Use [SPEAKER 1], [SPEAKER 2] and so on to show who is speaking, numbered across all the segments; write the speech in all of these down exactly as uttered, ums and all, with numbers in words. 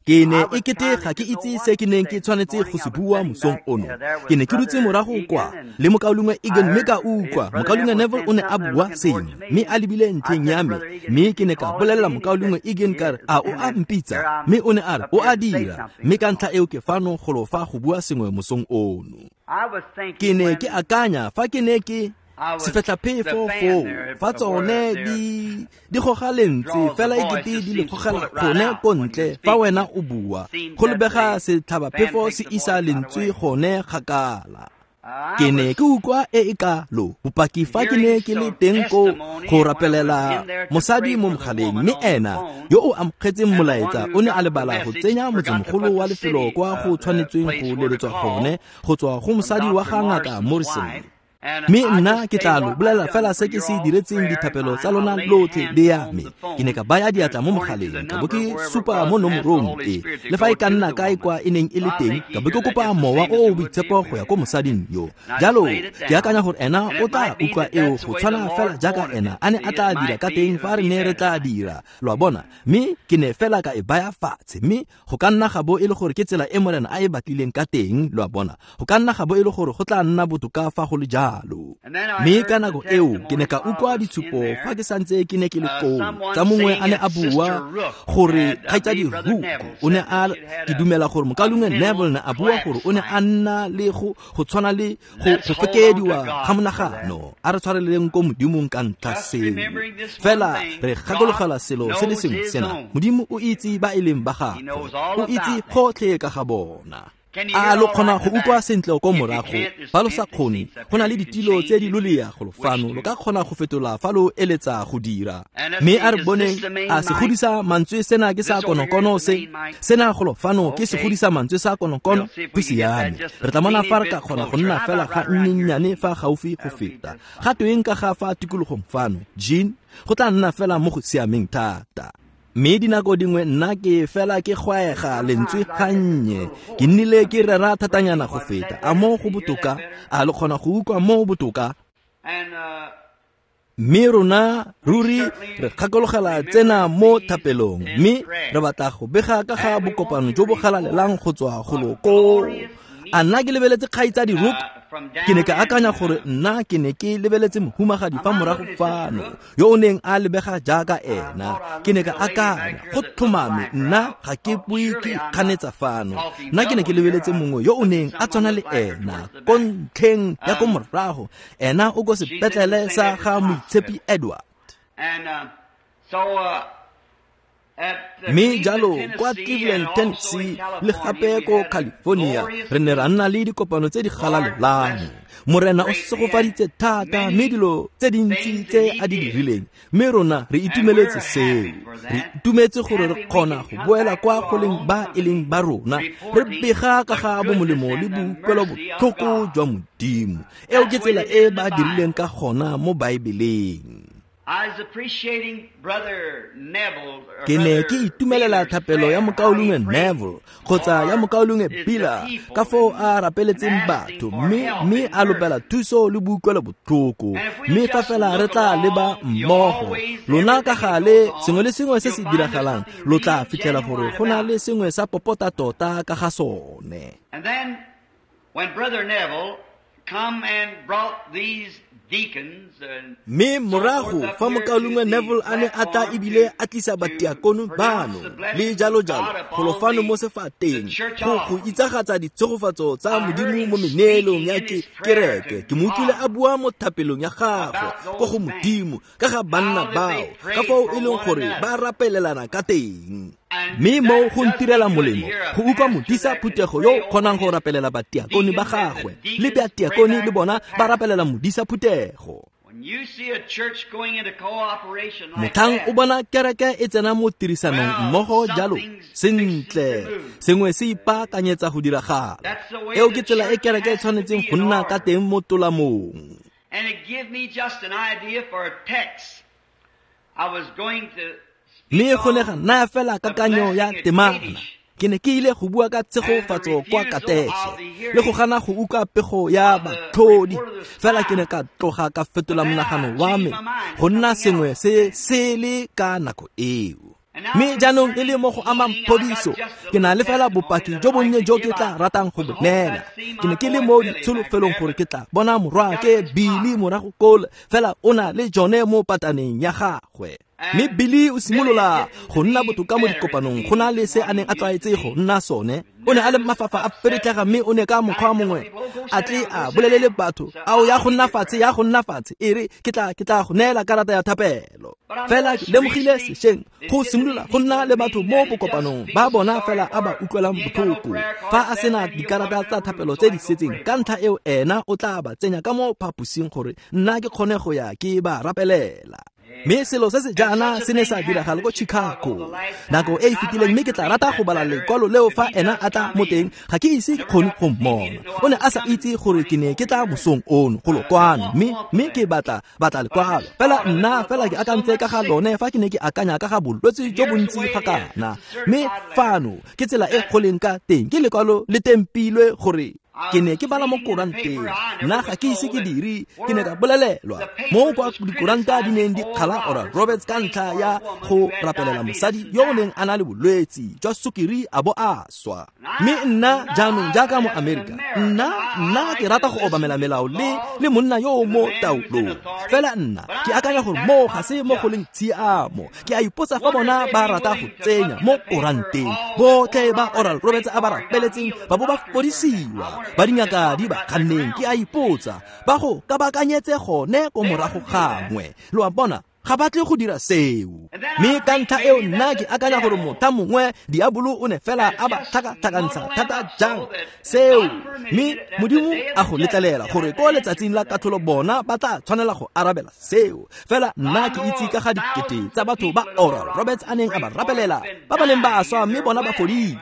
[SPEAKER 1] Ke ne e kete ga ke itse se ke neng ke tshwanetse go se bua mosong ono. Ke ne ke dutse morago kwa le mokaulengwe Egan, mme ka utlwa mokaulengwe Neville o ne a bua sengwe mme a lebile ntlheng ya me, mme ke ne ka bolelela mokaulengwe Egan ka re, a o a mpitsa? Mme o ne a re o a dira, mme ka ntlha eo ke fano golo fa go bua sengwe mosong ono. Ke ne ke akanya fa ke ne ke sefetlhaphefo foo fa tsone di di goga lentswe fela ekete di le gogela gone ko ntle fa wena o bua, go lebega setlhabaphefo se isa lentswe gone kgakala. Ke ne ke utlwa e e kalo bopaki fa ke ne ke le teng ko go rapelela mosadi mo mogaleng, mme ena yo o amogetseng molaetsa o ne a lebala go tsenya motsemogolo wa lefelo kwa go tshwanetsweng go leletswa gone go tswa go mosadi wa ga ngaka Morrison. Mme nna ke tla lo bolela fela se ke se diretseng dithapelo tsa lona lotlhe le ya me. Ke ne ka baya diatla mo mogaleng, ka bo ke supa mo nomorong e, le fa e ka nna kae kwa e neng e le teng, ka bo ke kopa mowa o o boitshepo go ya ko mosading yo. Jalo ke akanya gore ena o tla utlwa eo go tshwana fela jaaka ena a ne a tla dira ka teng fa re ne re tla dira, lo a bona. Mme ke ne fela ka e baya fatshe, mme go ka nna ga bo e le gore ke tsela e Morena a e batlileng ka teng, lo a bona. Go ka nna ga bo e le gore go tla nna botoka fa go le jalo. Mme ka nako eo ke ne ka utlwa ditshupo fa ke santse ke ne ke le koo tsa mongwe a ne a bua gore kgaitsadi Rook o ne a, ke dumela gore mokaulengwe Neville ne a bua gore o ne a nna le go go tshwana le go go fekediwa ga monagano. A re tshwareleng ko Modimong ka ntlha seo. Fela re gakologela selo se le sengwe sena, Modimo o itse ba e leng ba gagwe, o itse gotlhe ka ga bona. A lo kgona go utlwa sentle ko morago? Fa lo sa kgone, go na le ditilo tse di lolea golo fano, lo ka kgona go fetola fa lo eletsa go dira. Mme a re boneng, a se godisa mantswe sena ke sa konokono se, sena golo fano ke se godisa mantswe sa konokono, go siame. Re tla bona fa re ka kgona go nna fela ga nnyennyane fa gaufi go feta. Ga tweng ka ga fa tikologong fano, Jean, go tla nna fela mo go siameng thata. Mme dinako dingwe nna ke fela ke gwaega lentswe gannye, ke nnile ke rera thatanyana go feta. A mo go botoka? A lo kgona go utlwa mo botoka? Mme rona ruri re gakologela tsena mo thapelong, mme re batla go bega ka ga bokopano jo bo galalelang go tswa golo koo. A nna ke lebeletse kgaitsadi Rook? Ke ne ka akanya gore nna ke ne ke lebeletse mohumagadi fa morago fano yo o neng a lebega jaaka ena. Ke ne ka akanya go tlhomame nna ga ke bue ke kganetsa fano, nna ke ne ke lebeletse mongwe yo o neng a tshwana le ena ko ntlheng ya ko morago. Ena o ko sepetlele sa ga Moitshepi Edward. Mme jalo kwa Cleveland, Tennessee le gape ko California re ne ra nna le dikopano tse di galalelang. Morena o segofaditse thata mme dilo tse dintsi tse a di dirileng, mme rona re itumeletse seo. Re itumetse gore re kgona go boela kwa go leng ba e leng ba rona, re bega ka ga bomolemo le boutlwelobotlhoko jwa Modimo. Eo ke tsela e ba dirileng ka gona mo Baebeleng. Ke ne ke itumelela thapelo ya mokaulengwe Neville kgotsa ya mokaulengwe Biller ka foo a rapeletseng batho, mme mme a lopela thuso le boutlwelobotlhoko. Mme fa fela re tla leba mmogo lona ka gale sengwe le sengwe se se diragalang, lo tla fitlhela gore go na le sengwe sa popota tota ka ga sone. Mme morago fa mokaulengwe Neville a ne a tla ebile a tlisa batiakono bano le jalo jalo golo fano mo sefateng go go itsagatsa ditshegofatso tsa Modimo mo meneelong ya ke kereke, ke mo utlwile a bua mo thapelong ya gagwe ko go Modimo ka ga banna bao, ka foo e leng gore ba rapelelana ka teng. Mme mo go ntirela molemo go utlwa modisa phuthego yo kgonang go rapelela batiakone ba gagwe, le batiakone le bona ba rapelela modisa phuthego. Motlhang o bona kereke e tsena mo tirisanong mmogo jalo, sentle sengwe se ipaakanyetsa go diragala. Eo ke tsela e kereke e tshwanetseng go nna ka teng mo tolamong. Mme go ne ga naya fela kakanyo ya temana. Ke ne ke ile go bua ka tshegofatso kwa Kateše le go gana go utlwa pego ya batlhodi, fela ke ne ka tloga ka fetola monagano wa me go nna sengwe se sele ka nako eo. Mme jaanong e le mo go amang phodiso, ke na le fela bopaki jo bonnye jo ke tla ratang go bo neela. Ke ne ke le mo ditsholofelong gore ke tla bona morwaake Billy morago koo, fela o na le jone mo pataneng ya gagwe. Mme Billy o simolola go nna botoka mo dikopanong go na le se a neng a tlwaetse go nna sone. O ne a le mafafa a peretlega, mme o ne ka mokgwa mongwe a tle a bolelele batho, ao ya go nna fatshe, ya go nna fatshe, e re ke tla ke tla go neela karata ya thapelo. Fela ke lemogile sešweng go simolola go nna le batho mo bokopanong ba bona fela a ba utlwelang botlhoko fa a sena dikarata tsa thapelo tse di setseng. Ka ntlha eo ena o tla ba tsenya ka mo phaposing gore nna ke kgone go ya ke ba rapelela. Mme selo se se jaana se ne sa diragala ko Chicago nako e e fetileng, mme ke tla rata go bala lekwalo leo fa ena a tla mo teng. Ga ke ise ke kgone go mmona, o ne a sa itse gore ke ne ke tla mosong ono go lokwano, mme mme ke batla batla lekwalo. Fela nna fela ke akantse ka ga lone fa ke ne ke akanya ka ga bolwetse jo bontsi ga kana. Mme fano ke tsela e go leng ka teng, ke lekwalo le tempilwe gore ke ne ke bala mo koranteng. Nna ga ke ise ke dire, ke ne ka bolelelwa mo kwa dikoranta di neng di kgala Oral Roberts ka ntlha ya go rapelela mosadi yo o neng a na le bolwetse jwa sukiri a bo a swa. Mme nna jaanong jaaka mo Amerika, nna nna ke rata go obamela melao le le monna yo o mo taolong. Fela nna ke akanya gore mo ga se mo go leng tshiamo. Ke a ipotsa fa bona ba rata go tsenya mo koranteng botlhe ba Oral Roberts a ba rapeletseng ba bo ba fodisiwa, ba dingaka di ba kganneng. Ke a ipotsa ba go kabakanyetse gone ko morago gangwe. Lo a bona, ga ba tle go dira seo. Mme ka ntlha eo nna ke akanya gore motha mongwe diabolo o ne fela a ba tlhakatlhakantsha thata jang seo. Mme Modimo a go letlelela gore ko letsatsing la katlholo bona ba tla tshwanela go arabela seo. Fela nna ke itse ka ga dikete tsa batho ba Oral Roberts a neng a ba rapelela, ba ba neng ba swa mme bona ba fodile.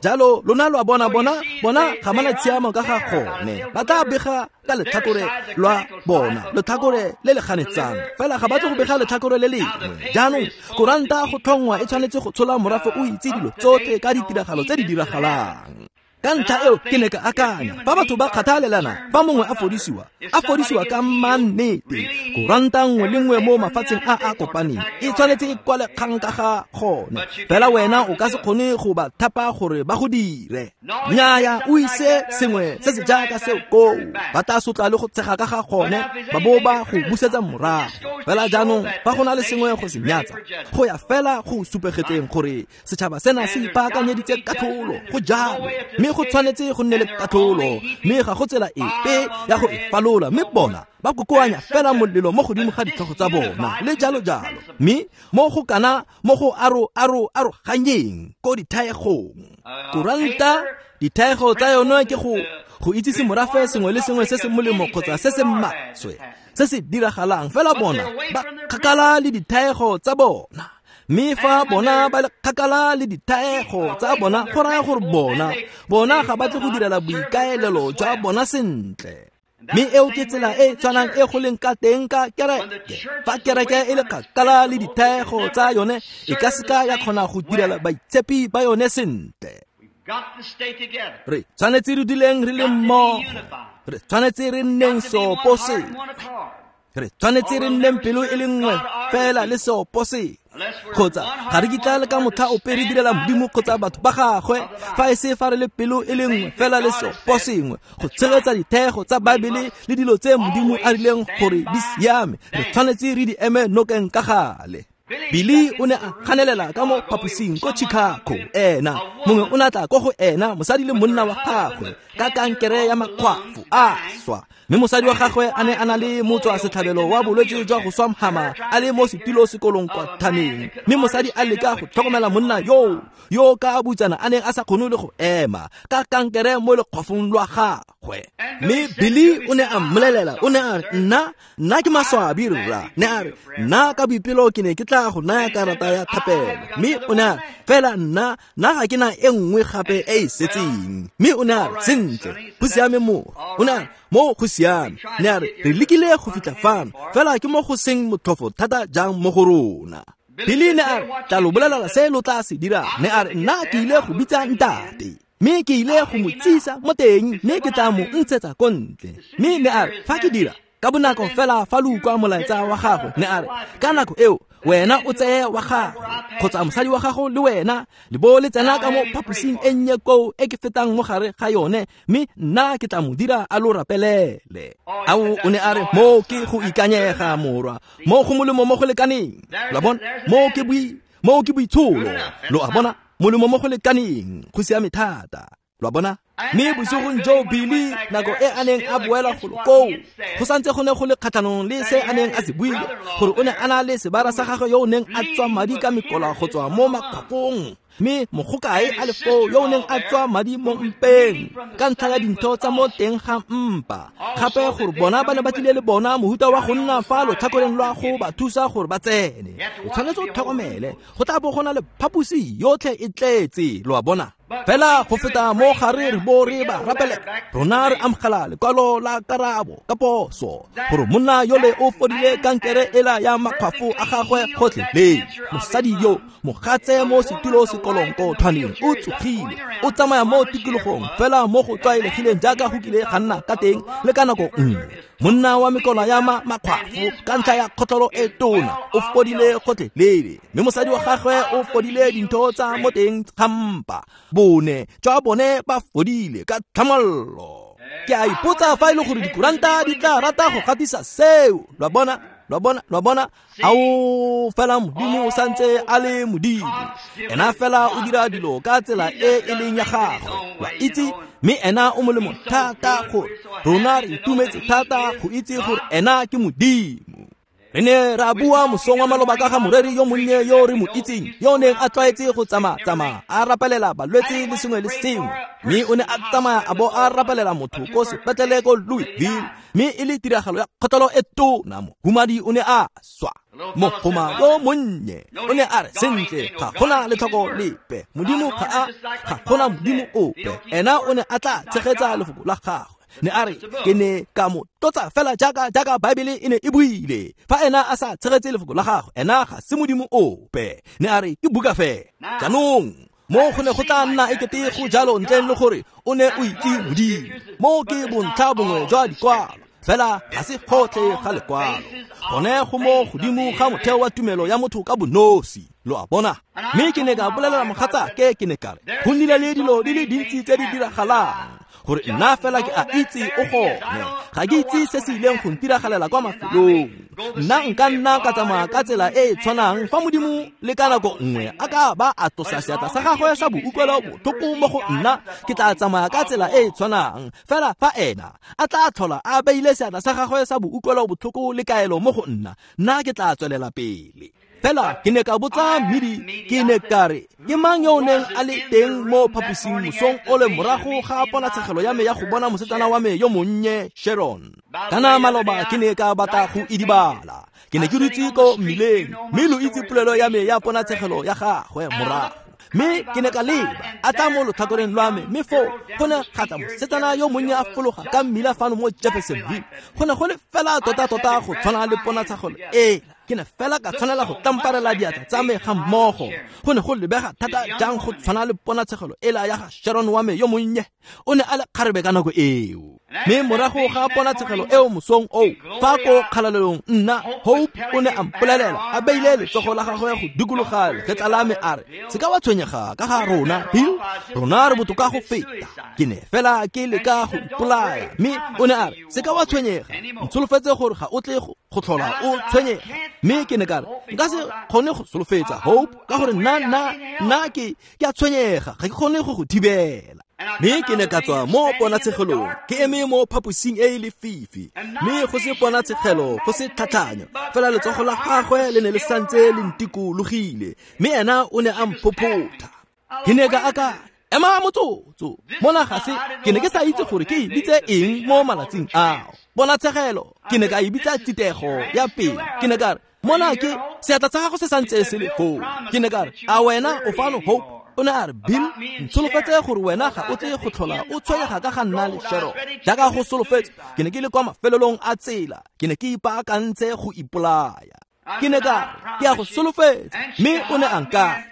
[SPEAKER 1] Jalo lona lo a bona, bona bona ga mana tshiamo ka ga gone. Ba tla bega ka letlhakore lwa bona, letlhakore le le ganetsang, fela ga ba tle go bega letlhakore le lengwe. Jaanong koranta go tlhongwa e tshwanetse go tshola morafe o itse dilo tsotlhe ka ditiragalo tse di diragalang. Ka ntlha eo ke ne ka akanya fa batho ba kgathalelana, fa mongwe a fodisiwa, a fodisiwa ka mannete, koranta nngwe le nngwe mo mafatsheng a a kopaneng e tshwanetse e kwale kgang ka ga gone. Fela wena o ka se kgone go ba thapa gore ba go dire. Nnyaya, o ise sengwe se se jaaka seo koo, ba tla sotla le go tshega ka ga gone, ba bo ba go busetsa morago. Fela jaanong fa go na le sengwe go se nyatsa, go ya fela go supegetseng gore setšhaba sena se ipaakanyeditse katlholo. Go jalo, mme go tshwanetse go nne le katlholo, mme ga go tsela epe ya go e falola. Mme bona ba kokoanya fela molelo mo godimo ga ditlhogo tsa bona le jalo jalo. Mme mo go kana mo go aro aro aroganyeng ko dithaegong. Koranta dithaego tsa yone ke go go itsise morafe sengwe le sengwe se se molemo kgotsa se se maswe se se diragalang. Fela bona ba kgakala le dithaego tsa bona. Mme fa bona ba le kgakala le dithaego tsa bona, go raya gore bona bona ga ba tle go direla boikaelelo jwa bona sentle. Mme eo ke tsela e tshwanang e go leng ka teng ka kereke. Fa kereke e le kgakala le dithaego tsa yone, e ka seka ya kgona go direla baitshepi ba yone sentle. Re tshwanetse re duleng re le mmogo, re tshwanetse re nneng seopo sengwe, re tshwanetse re nneng pelo e le nngwe fela le seopo sengwe. Kgotsa ga re kitla le ka motlha ope re direla Modimo kgotsa batho ba gagwe fa e se fa re le pelo e le nngwe fela le seopo sengwe go tshegetsa dithego tsa Baebele le dilo tse Modimo a rileng gore di siame. Re tshwanetse re di eme nokeng ka gale. Billy o ne a ganelela ka mo phaposing ko Chicago. Ena mongwe o ne a tla ko go ena, mosadi le monna wa gagwe, ka kankere ya makgwafo a swa. Mme mosadi wa gagwe a ne a na le motswa setlhabelo wa bolwetse jwa go swa mhama a le mo setilo sekolong kwa thaneng. Mme mosadi a leka go tlhokomela monna yo yo ka butsana a neng a sa kgone le go ema ka kankere mo lekgwafong lwa gagwe. Mme Billy o ne a mmolelela, o ne a re, nna nna ke maswabi rra. Ne a re, nna ka boipelo ke ne ke tla go naya karata ya thapelo. Mme o ne a re, fela nna nna ga ke na e nngwe gape e e setseng. Mme o ne a re, sentle, go siame mo. O ne a re, mo go siame. Ne a re, re lekile go fitlha fano, fela ke mo go seng motlhofo thata jang mo go rona. Billy ne a re, tla lo bolelela se lo tla se dirang. Ne a re, nna ke ile go bitsa ntate, mme ke ile go mo tsisa mo teng, mme ke tla mo ntshetsa ko ntle. Mme ne a re, fa ke dira ka bonako fela fa lo utlwa molaetsa wa gagwe, ne a re, ka nako eo Wena o tseye wa gago kgotsa mosadi wa gago le wena le bo le tsena ka mo phaposing e nnye koo e ke fetang mo gare ga yone, mme nna ke tla mo dira a lo rapelele. Ao, o ne a re, mo ke go ikanyega morwa, mo go molemo mo go lekaneng. Lo a bona, mo ke boi mo ke boitsholo. Lo a bona, molemo mo go lekaneng, go siame thata. Lo a bona. Mme bosigong jo Billy nako e a neng a boela golo koo, go santse go ne go le kgatlhanong le se a neng a se buile, gore o ne a na le sebara sa gagwe yo o neng a tswa madi ka mekola go tswa mo makgwafong, mme mogokae a le foo yo o neng a tswa madi mo mpeng ka ntlha ya dintho tsa mo teng ga mpa. Gape gore bona ba ne ba tlile le bona mohuta wa go nna fa lotlhakoreng lwa go ba thusa gore ba tsene. O tshwanetse o tlhokomele, go tla bo go na le phaposi yotlhe e tletse. Lo a bona. Fela go feta mo gare re bo re ba rapele, rona re amogela lekwalo la karabo ka poso gore monna yole o fodile kankere ela ya makgwafo a gagwe gotlhelele. Mosadi yo mogatse mo setulo sekolong ko tshwaneng o tsogile, o tsamaya mo tikologong fela mo go tlwaelegileng jaaka go kile ga nna ka teng le ka nako nngwe. Monna wa mekola ya makgwafo ka ntlha ya kgotlholo e tona o fodile gotlhelele, mme mosadi wa gagwe o fodile dintho tsa mo teng ga mpa. Bone jwa bone ba fodile ka tlhamallo. Ke a ipotsa fa e le gore dikuranta di tla rata go gatisa seo. Lo a bona, lo a bona, lo a bona. Ao, fela Modimo o santse a le Modimo. Ena fela o dira dilo ka tsela e e leng ya gagwe. Lo a itse, mme ena o molemo thata gore rona re itumetse thata go itse gore ena ke Modimo. Re ne ra bua mosong wa maloba ka ga moreri yo monnye yo re mo itseng, yo o neng a tlwaetse go tsamaya-tsamaya a rapelela balwetse le sengwe le sengwe, mme o ne a tsamaya a bo a rapelela motho ko sepetlele ko Louisville, mme e le tiragalo ya kgotlholo e tona. Mohumadi o ne a swa. Mogoma yo monnye o ne a re, sentle, ga gona letlhoko lepe, Modimo ga a ga gona Modimo ope. Ena o ne a tla tshegetsa lefoko la gagwe. Ne a re, ke ne ka mo tlotsa fela jaaka jaaka Baebele e ne e buile. Fa ena a sa tshegetse lefoko la gagwe, ena ga se Modimo ope. Ne a re, ke buka fela. Jaanong mo go ne go tla nna ekete go jalo ntleng le gore o ne o itse Modimo. Mo ke bontlha bongwe jwa dikwalo, fela ga se gotlhe ga lekwalo. Gone go mo godimo ga motheo wa tumelo ya motho ka bonosi. Lo a bona. Mme ke ne ka bolelela mogatsake, ke ne ka re, go nnile le dilo di le dintsi tse di diragalang gore nna fela ke a itse o gone. Ga ke itse se se ileng go ntiragalela kwa mafelong. Nna nka nna ka tsamaya ka tsela e e tshwanang fa Modimo le ka nako nngwe a ka ba a tlosa seatla sa gagwe sa boutlwelo botlhoko mo go nna, ke tla tsamaya ka tsela e e tshwanang. Fela fa ena a tla tlhola a beile seatla sa gagwe sa boutlwelo botlhoko le kaelo mo go nna, nna ke tla tswelela pele. Fela ke ne ka botsa mmidi, ke ne ka re, ke mang yo o neng a le teng mo phaposing mosong o le morago ga ponatshegelo ya me ya go bona mosetsana wa me yo monnye Sharon? Kana maloba ke ne ka batla go idibala. Ke ne ke dutse ko mmileng, mme lo itse polelo ya me ya ponatshegelo ya gagwe morago. Mme ke ne ka leba, a tla mo lotlhakoreng lwa me, mme foo go ne ga tla mosetsana yo monnye a fologa ka mmila fano mo Jeffersonville. Go ne go le fela tota-tota go tshwana le ponatshegelo ela. Ke ne fela ka tshwanela go tamparela diatla tsa me ga mmogo. Go ne go lebega thata jang go tshwana le ponatshegelo ela ya ga Sharon wa me yo monnye. O ne a le kgarebe ka nako eo. Mme morago ga ponatshegelo eo mosong oo, fa ko kgalalelong nna Hope o ne a mpolelela a beile letsogo la gagwe go dikologa legetla la me a re, se ka wa tshwenyega ka ga rona Bill, rona re botoka go feta. Ke ne fela ke leka go ipolaya. Mme o ne a re, se ka wa tshwenyega, ntsholofetse gore ga o tle go tlhola o tshwenyega. Mme ke ne ka re, nka se kgone go solofetsa Hope ka gore nna nna nna ke ke a tshwenyega, ga ke kgone go go thibela. Mme ke ne ka tswa mo ponatshegelong, ke eme mo phaposing e e lefifi, mme go se ponatshegelo, go se tlhatlhanyo, fela letsogo la gagwe le ne le santse le ntikologile, mme ena o ne a mphophotha. Ke ne ka akanya, ema motsotso, mona ga se, ke ne ke sa itse gore ke e bitse eng mo malatsing ao. Ponatshegelo, ke ne ka e bitsa tsitego ya pele. Ke ne ka re, mona ke seatla sa gago se santse se le foo. Ke ne ka re, a wena o fano Hope? O ne a re, Bill, ntsholofetse gore wena ga o tle go tlhola o tshwenyega ka ga nna le Sharon. Jaaka go solofetse, ke ne ke le kwa mafelelong a tsela, ke ne ke ipaakantse go ipolaya. Ke ne ka re, ke a go solofetsa, mme o ne a nkatla,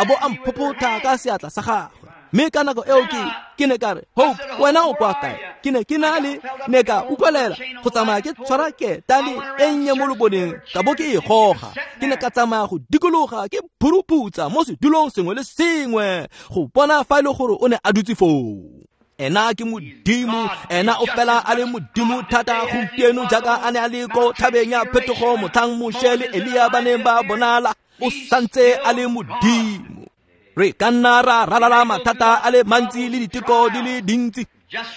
[SPEAKER 1] a bo a mphophotha ka seatla sa gagwe. Mme ka nako eo ke ke ne ka re, Hope, wena o kwa kae? Ke ne ke na le ne ka utlwelela go tsamaya ke tshwara ketane e nnye mo loboneng ka bo ke e goga. Ke ne ka tsamaya go dikologa ke phuruputsa mo sedulong sengwe le sengwe go bona fa e le gore o ne a dutse foo. Ena ke Modimo, ena o fela a le Modimo thata gompieno jaaka a ne a le ko thabeng ya phetogo motlhang Moshe le Elia ba neng ba bonala, o santse a le Modimo. Re ka nna ra ralala mathata a le mantsi le diteko di le dintsi,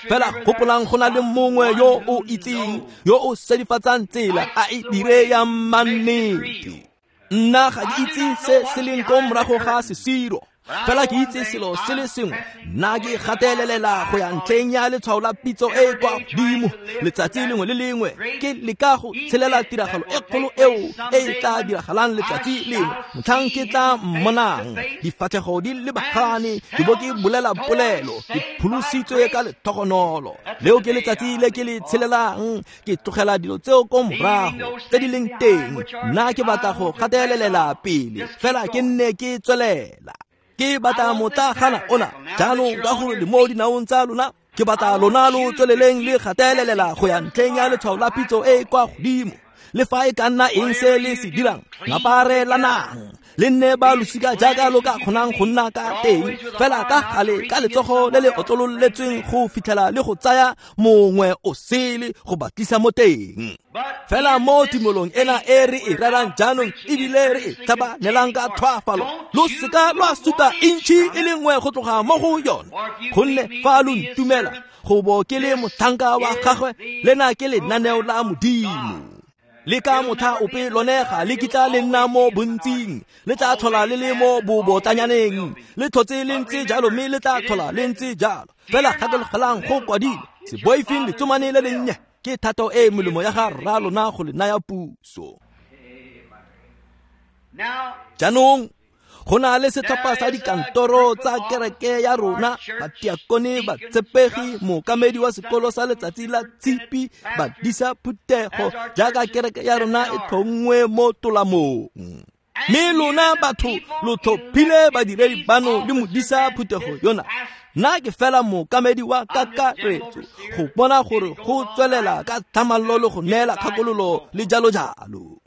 [SPEAKER 1] fela gopolang go na le mongwe yo o itseng, yo o sedifatsang tsela a e dire ya mannete. Nna ga ke itse se se leng ko morago ga sesiro, fela ke itse selo se le sengwe, nna ke gatelelela go ya ntlheng ya letshwao la pitso e e kwa godimo. Letsatsi lengwe le lengwe ke leka go tshelela tiragalo e kgolo eo e e tla diragalang letsatsi lengwe motlhang ke tla mmonang difatlhego di lebagane ke bo ke bolela polelo ke pholositswe ka lethogonolo. Leo ke letsatsi le ke le tshelelang, ke tlogela dilo tseo ko morago tse di leng teng. Nna ke batla go gatelelela pele fela ke nne ke tswelela. Ke batla motlagana ona jaanong ka gore le mo dinaong tsa lona, ke batla lona lo tsweleleng le gatelelela go ya ntlheng ya letshwao la pitso e e kwa godimo. Le fa e ka nna eng se le se dirang, ngaparelanang le nne ba losika jaaka lo ka kgonang go nna ka teng, fela ka gale ka letsogo le le otlololetsweng go fitlhela le go tsaya mongwe o sele go ba tlisa mo teng. Fela mo tumolong ena e re e rerang jaanong ebile re e tlhabanelang ka tlhoafalo, lo seka lwa suta intšhi e le nngwe go tloga mo go yone, gonne fa lo ntumela go bo ke le motlhanka wa gagwe, lena ke lenaneo la Modimo. Le ka motlha ope lone ga le kitla le nna mo bontsing, le tla tlhola le le mo bobotlanyaneng, le tlhotse le ntse jalo mme le tla tlhola le ntse jalo. Fela gakologelang go kwadile, se boifeng letsomane le lennye, ke thato e molemo ya ga rra lona go le naya puso. Jaanong go na le setlhopha sa dikantoro tsa kereke ya rona, batiakone, batshepegi, mookamedi wa sekolo sa letsatsi la tshipi, badisa phuthego jaaka kereke ya rona e tlhongwe mo tolamong. Mme lona batho lo tlhophile badiredi bano le modisa phuthego yona. Nna ke fela mookamedi wa kakaretso go bona gore go tswelela ka tlhamallo le go neela kgakololo le jalo jalo.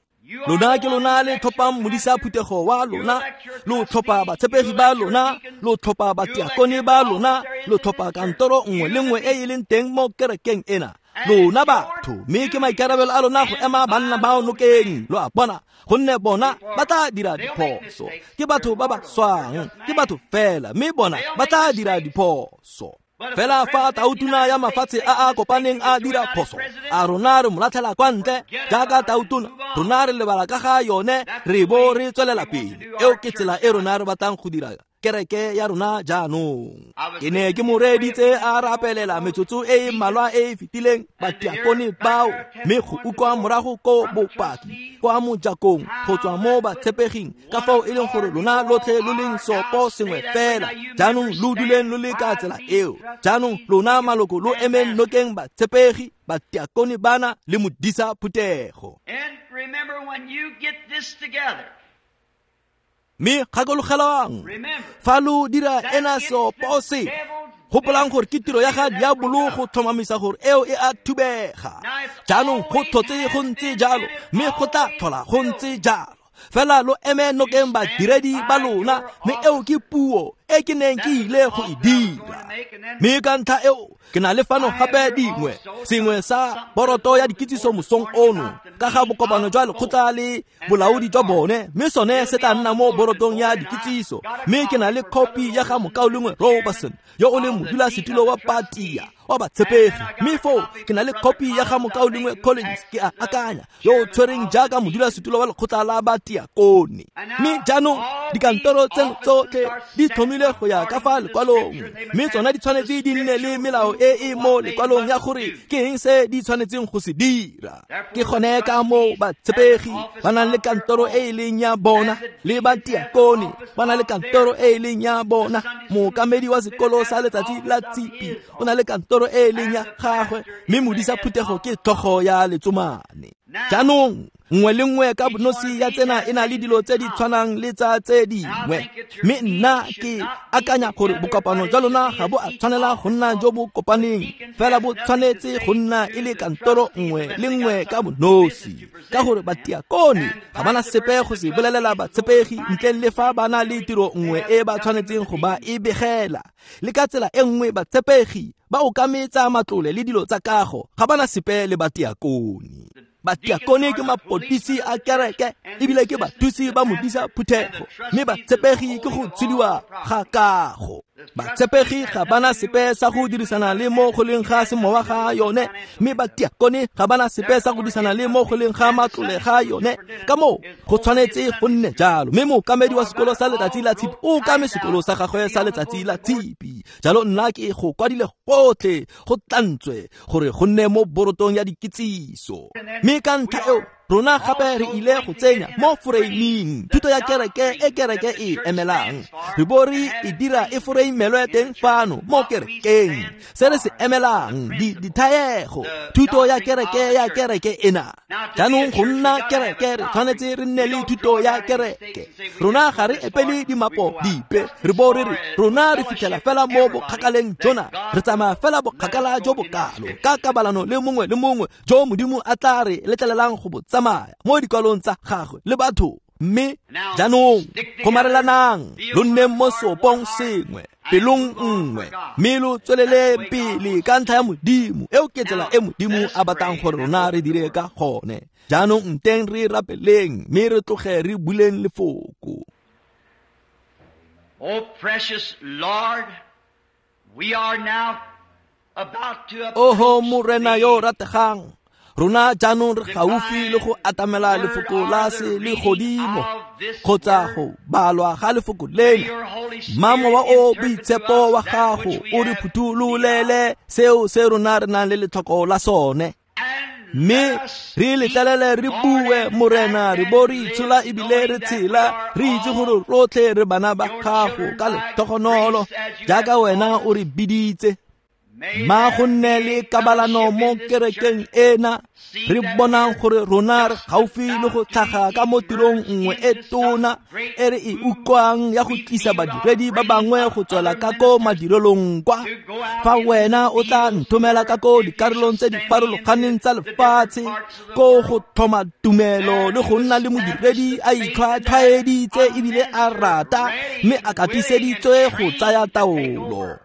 [SPEAKER 1] Lona ke lona le tlhophang modisa phuthego wa lona, lo tlhopha batshepegi ba lona, lo tlhopha batiakone ba lona, lo tlhopha kantoro nngwe le nngwe e e leng teng mo kerekeng ena. Lona batho, mme ke maikarabelo a lona go ema banna bao nokeng, lo a bona, gonne bona ba tla dira diphoso. Ke batho ba ba swang, ke batho fela, mme bona ba tla dira diphoso. Fela fa tautona ya mafatshe a a kopaneng a dira phoso, a rona re mo latlhela kwa ntle jaaka tautona, rona re lebala ka ga yone re bo re tswelela pele. Eo ke tsela e rona re batlang go dira kereke ya rona jaanong. Ke ne ke mo reeditse a rapelela metsotso e e mmalwa e e fetileng batiakone bao, mme go utlwa morago ko bopaki kwa mojakong go tswa mo batshepeging ka fao e leng gore lona lotlhe lo leng sopo sengwe fela. Jaanong lo duleng lo le ka tsela eo. Jaanong lona maloko lo emeng nokeng batshepegi, batiakone bana le modisa phuthego. Mme gakologelang, fa lo dira ena seopo se, gopolang gore ke tiro ya ga diabolo go tlhomamisa gore eo e a thubega. Jaanong go tlhotse go ntse jalo, mme go tla tlhola go ntse jalo. Fela lo eme nokeng badiredi ba lona, mme eo ke puo e ke neng ke ile go e dira. Mme ka ntlha eo ke na le fano gape dingwe, sengwe sa boroto ya dikitsiso mosong ono ka ga bokopano jwa lekgotla le bolaodi jwa bone, mme sone se tla nna mo borotong ya dikitsiso. Mme ke na le khopi ya ga mokaulengwe Robertson yo o leng modulasetulo wa patia wa batshepegi, mme foo ke na le khopi ya ga mokaulengwe Collins, ke a akanya, yo o tshwereng jaaka modulasetulo wa lekgotla la batiakone. Mme jaanong dikantoro tseno tsotlhe di tlhomile go ya ka fa lekwalong, mme tsona di tshwanetse di nne le melao e e mo lekwalong ya gore ke eng se di tshwanetseng go se dira. Ke gone ka moo batshepegi ba nang le kantoro e e leng ya bona, le batiakone ba na le kantoro e e leng ya bona, mookamedi wa sekolo sa letsatsi la tshipi o na le kantoro e e leng ya gagwe, mme modisa phuthego ke tlhogo ya letsomane. Jaanong Nngwe le nngwe ka bonosi ya tsena e na le dilo tse di tshwanang le tsa tse dingwe. Mme nna ke akanya gore bokopano jwa lona ga bo a tshwanela go nna jo bo kopaneng, fela bo tshwanetse go nna e le kantoro nngwe le nngwe ka bonosi, ka gore batiakone ga bana sepe go se bolelela batshepegi ntle le fa ba na le tiro nngwe e ba tshwanetseng go ba e begela. Le ka tsela e nngwe batshepegi ba okametsa matlole le dilo tsa kago ga bana sepe le batiakone. Batiakone ke mapodisi a kereke ebile ke bathusi ba modisa phuthego, mme batshepegi ke go tshediwa ga kago. Batshepegi ga bana sepe sa go dirisana le mo go leng ga semowa ga yone, mme batiakone ga bana sepe sa go dirisana le mo go leng ga matlole ga yone. Ka moo go tshwanetse go nne jalo. Mme mookamedi wa sekolo sa letsatsi la tshipi o okame sekolo sa gagwe sa letsatsi la tshipi. Jalo nna ke go kwadile gotlhe go tlantswe gore go nne mo borotong ya dikitsiso. Mme ka ntlha eo rona gape re ile go tsenya mo foreiming thuto ya kereke e kereke e emelang, re bo re e dira e foreimelwe teng fano mo kerekeng. Se re se emelang di dithaego thuto ya kereke ya kereke ena. Jaanong go nna kereke re tshwanetse re nne le thuto ya kereke. Rona ga re epele dimapo dipe, re bo re re rona re fitlhela fela mo bokgakaleng jona, re tsamaya fela bokgakala jo bokalo ka kabalano le mongwe le mongwe jo Modimo a tla re letlelelang go bo tsamaya mo dikwalong tsa gagwe le batho. Mme jaanong gomarelanang lo nne mo seopong sengwe, pelong nngwe, mme lo tswelele pele ka ntlha ya Modimo. Eo ke tsela e Modimo a batlang gore rona re dire ka gone. Jaanong nteng re rapeleng mme re tloge re buleng lefoko.
[SPEAKER 2] Oh precious Lord, we are now about to
[SPEAKER 1] Oho Morena yo rategang, rona jaanong re gaufi le go atamela lefoko la se le godimo kgotsa go balwa ga lefoko lena. Mma Mowa o Boitshepo wa gago o re phuthololele seo se rona re nang le letlhoko la sone, mme re letlelele re bue Morena, re bo re itshola ebile re tshela, re itse gore rotlhe re bana ba gago ka letlhogonolo jaaka wena o re biditse. Ma go nne le kabalano mo kerekeng ena, re bonang gore rona re gaufi le go tlhaga ka mo tirong nngwe e tona e re e utlwang ya go tlisa badiredi ba bangwe go tswela ka ko madirelong kwa. Fa wena o tla nthomela ka ko dikarolong tse di farologaneng tsa lefatshe ko go tlhoma tumelo le go nna le modiredi a itlhwatlhwaeditse ebile a rata mme a katiseditswe go tsaya taolo.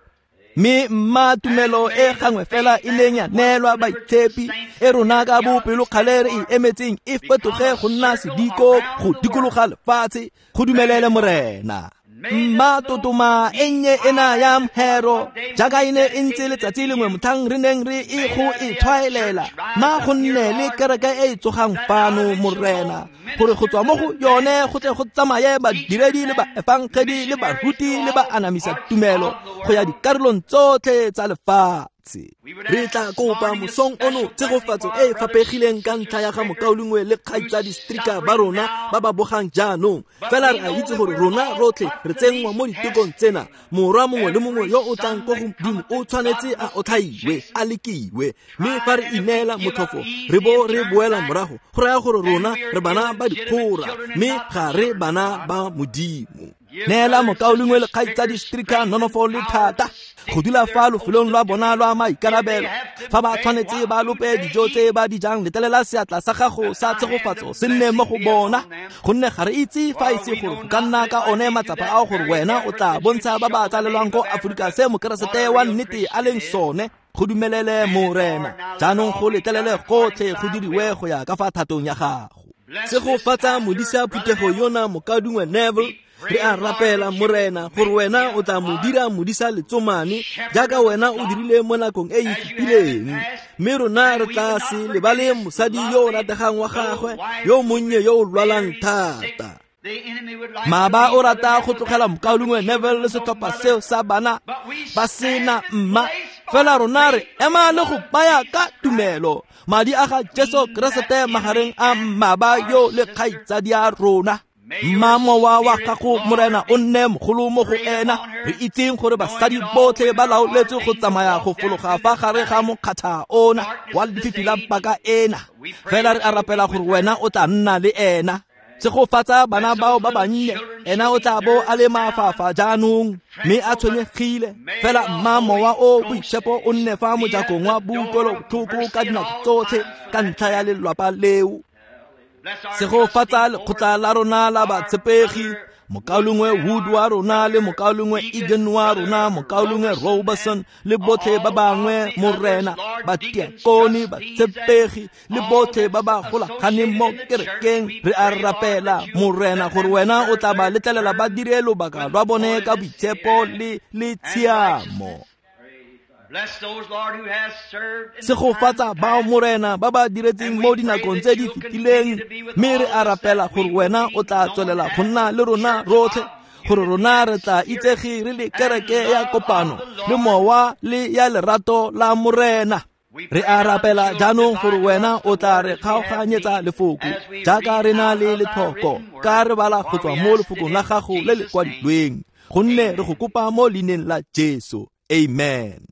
[SPEAKER 1] Mme mma tumelo e gangwe fela e leng ya neelwa baitshepi e rona ka bopelokgale re e emetseng e fetoge go nna sediko go dikologa lefatshe. Go dumelele Morena. Mma totoma e nnye ena ya mhero jaaka e ne e ntse letsatsi lengwe motlhang re neng re e go e tshwaelela, ma go nne le kereke e e tsogang fano Morena, gore go tswa mo go yone go tle go tsamaye badiredi le baefangedi le baruti le baanamisa tumelo go ya dikarolong tsotlhe tsa lefatshe. Re tla kopa mosong ono tshegofatso e e faphegileng ka ntlha ya ga mokaulengwe le kgaitsadi Stricker ba rona ba ba bogang jaanong. Fela re a itse gore rona rotlhe re tsenngwa mo ditekong tsena. Morwa mongwe le mongwe yo o tlang ko go Modimo o tshwanetse a otlhaiwe, a lekiwe. Mme fa re ineela motlhofo re bo re boela morago, go raya gore rona re bana ba dikgora mme ga re bana ba Modimo. Neela mokaulengwe le kgaitsadi Stricker nonofo le thata go dula fa lofelong lwa bona lwa maikarabelo. Fa ba tshwanetse ba lope dijo tse ba di jang, letlelela seatla sa gago sa tshegofatso se nne mo go bona, gonne ga re itse fa e se gore go ka nna ka one matsapa ao gore wena o tla bontsha ba ba tsalelwang ko Aforika se mokeresete wa nnete a leng sone. Go dumelele Morena. Jaanong go letlelele gotlhe go diriwe go ya ka fa thatong ya gago. Segofatsa modisa phuthego yona mokaulengwe Neville. Re a rapela Morena gore wena o tla mo dira modisa letsomane jaaka wena o dirile mo nakong e e fetileng, mme rona re tla se lebale mosadi yo o rategang wa gagwe yo monnye yo o lwalang thata. Maba o rata go tlogela mokaulengwe Neville le setlhopha seo sa bana ba sena mma, fela rona re ema le go baya ka tumelo madi a ga Jesu Keresete magareng a mmaba yo le kgaitsadi ya rona. Mma mowa wa gago Morena o nne mogolo mo go ena. Re itseng gore basadi botlhe ba laoletswe go tsamaya go fologa fa gare ga mokgatha ona wa lefifi la paka ena. Fela re a rapela gore wena o tla nna le ena. Tshegofatsa bana bao ba bannye, ena o tla bo a le mafafa jaanong mme a tshwenyegile. Fela mma mowa o boitshepo o nne fa mojakong wa boutlwelobotlhoko ka dinako tsotlhe ka ntlha ya lelwapa leo. Tshegofatsa lekgotla la rona la batshepegi, mokaulengwe Wood wa rona le mokaulengwe Egan wa rona, mokaulengwe Robertson le botlhe ba bangwe Morena, batiakone, batshepegi le botlhe ba ba golaganeng mo kerekeng. Re a rapela Morena gore wena o tla ba letlelela ba dire lobaka lwa bone ka boitshepo le le tshiamo. Tshegofatsa bao Morena ba ba diretseng mo dinakong tse di fetileng, mme re a rapela gore wena o tla tswelela go nna le rona rotlhe, gore rona re tla itsege re le kereke ya kopano le mowa le ya lerato la Morena. Re a rapela jaanong gore wena o tla re kgaoganyetsa lefoko jaaka re na le letlhoko, ka re bala go tswa mo lefokong la gago le le kwadilweng, gonne re go kopa mo leineng la Jesu. Amen.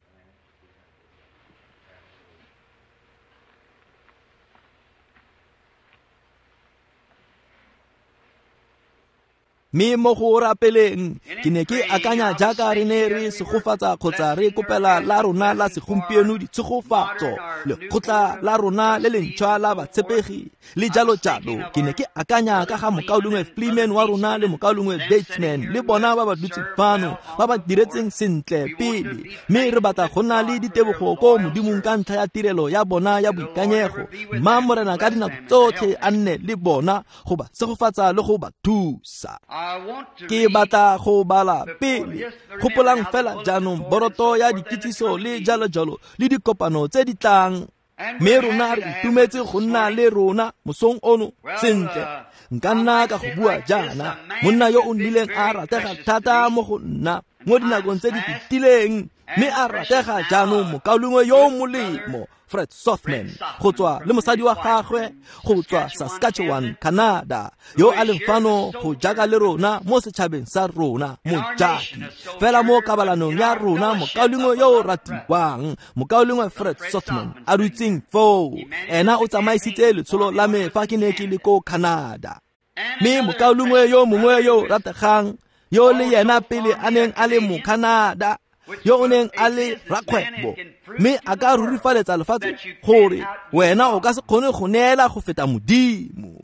[SPEAKER 1] Mme mo go rapeleng ke ne ke akanya jaaka re ne re segofatsa kgotsa re kopela la rona la segompieno ditshegofatso, lekgotla la rona le lentšhwa la batshepegi le jalo jalo. Ke ne ke akanya ka ga mokaulengwe Fleeman wa rona le mokaulengwe Batesman le bona ba ba dutseng fano ba ba diretseng sentle pele, mme re batla go nna le ditebogo ko Modimong ka ntlha ya tirelo ya bona ya boikanyego. Mma Morena ka dinako tsotlhe a nne le bona go ba segofatsa le go ba thusa. Ke batla go bala pele. Gopolang fela jaanong boroto ya dikitsiso le jalo jalo le dikopano tse di tlang. Mme rona re itumetse go nna le rona mosong ono. Sentle, nka nna ka go bua jaana, monna yo o nnileng a ratega thata mo go nna mo dinakong tse di fetileng, mme a ratega jaanong mokaulengwe yo molemo Fred Sothmann go tswa le mosadi wa gagwe go tswa Saskatchewan, Canada, yo a leng fano go jaaka le rona mo setšhabeng sa rona mojaki. Fela mo kabalanong ya rona mokaulengwe yo o ratiwang, mokaulengwe Fred Sothmann a dutseng foo, ena o tsamaisitse letsholo la me fa ke ne ke le ko Canada. Mme mokaulengwe yo mongwe yo o rategang, yo le yena pele a neng a le mo Canada, yo o neng a le rakgwebo, mme a ka rurifaletsa lefatshe gore wena o ka se kgone go neela go feta Modimo.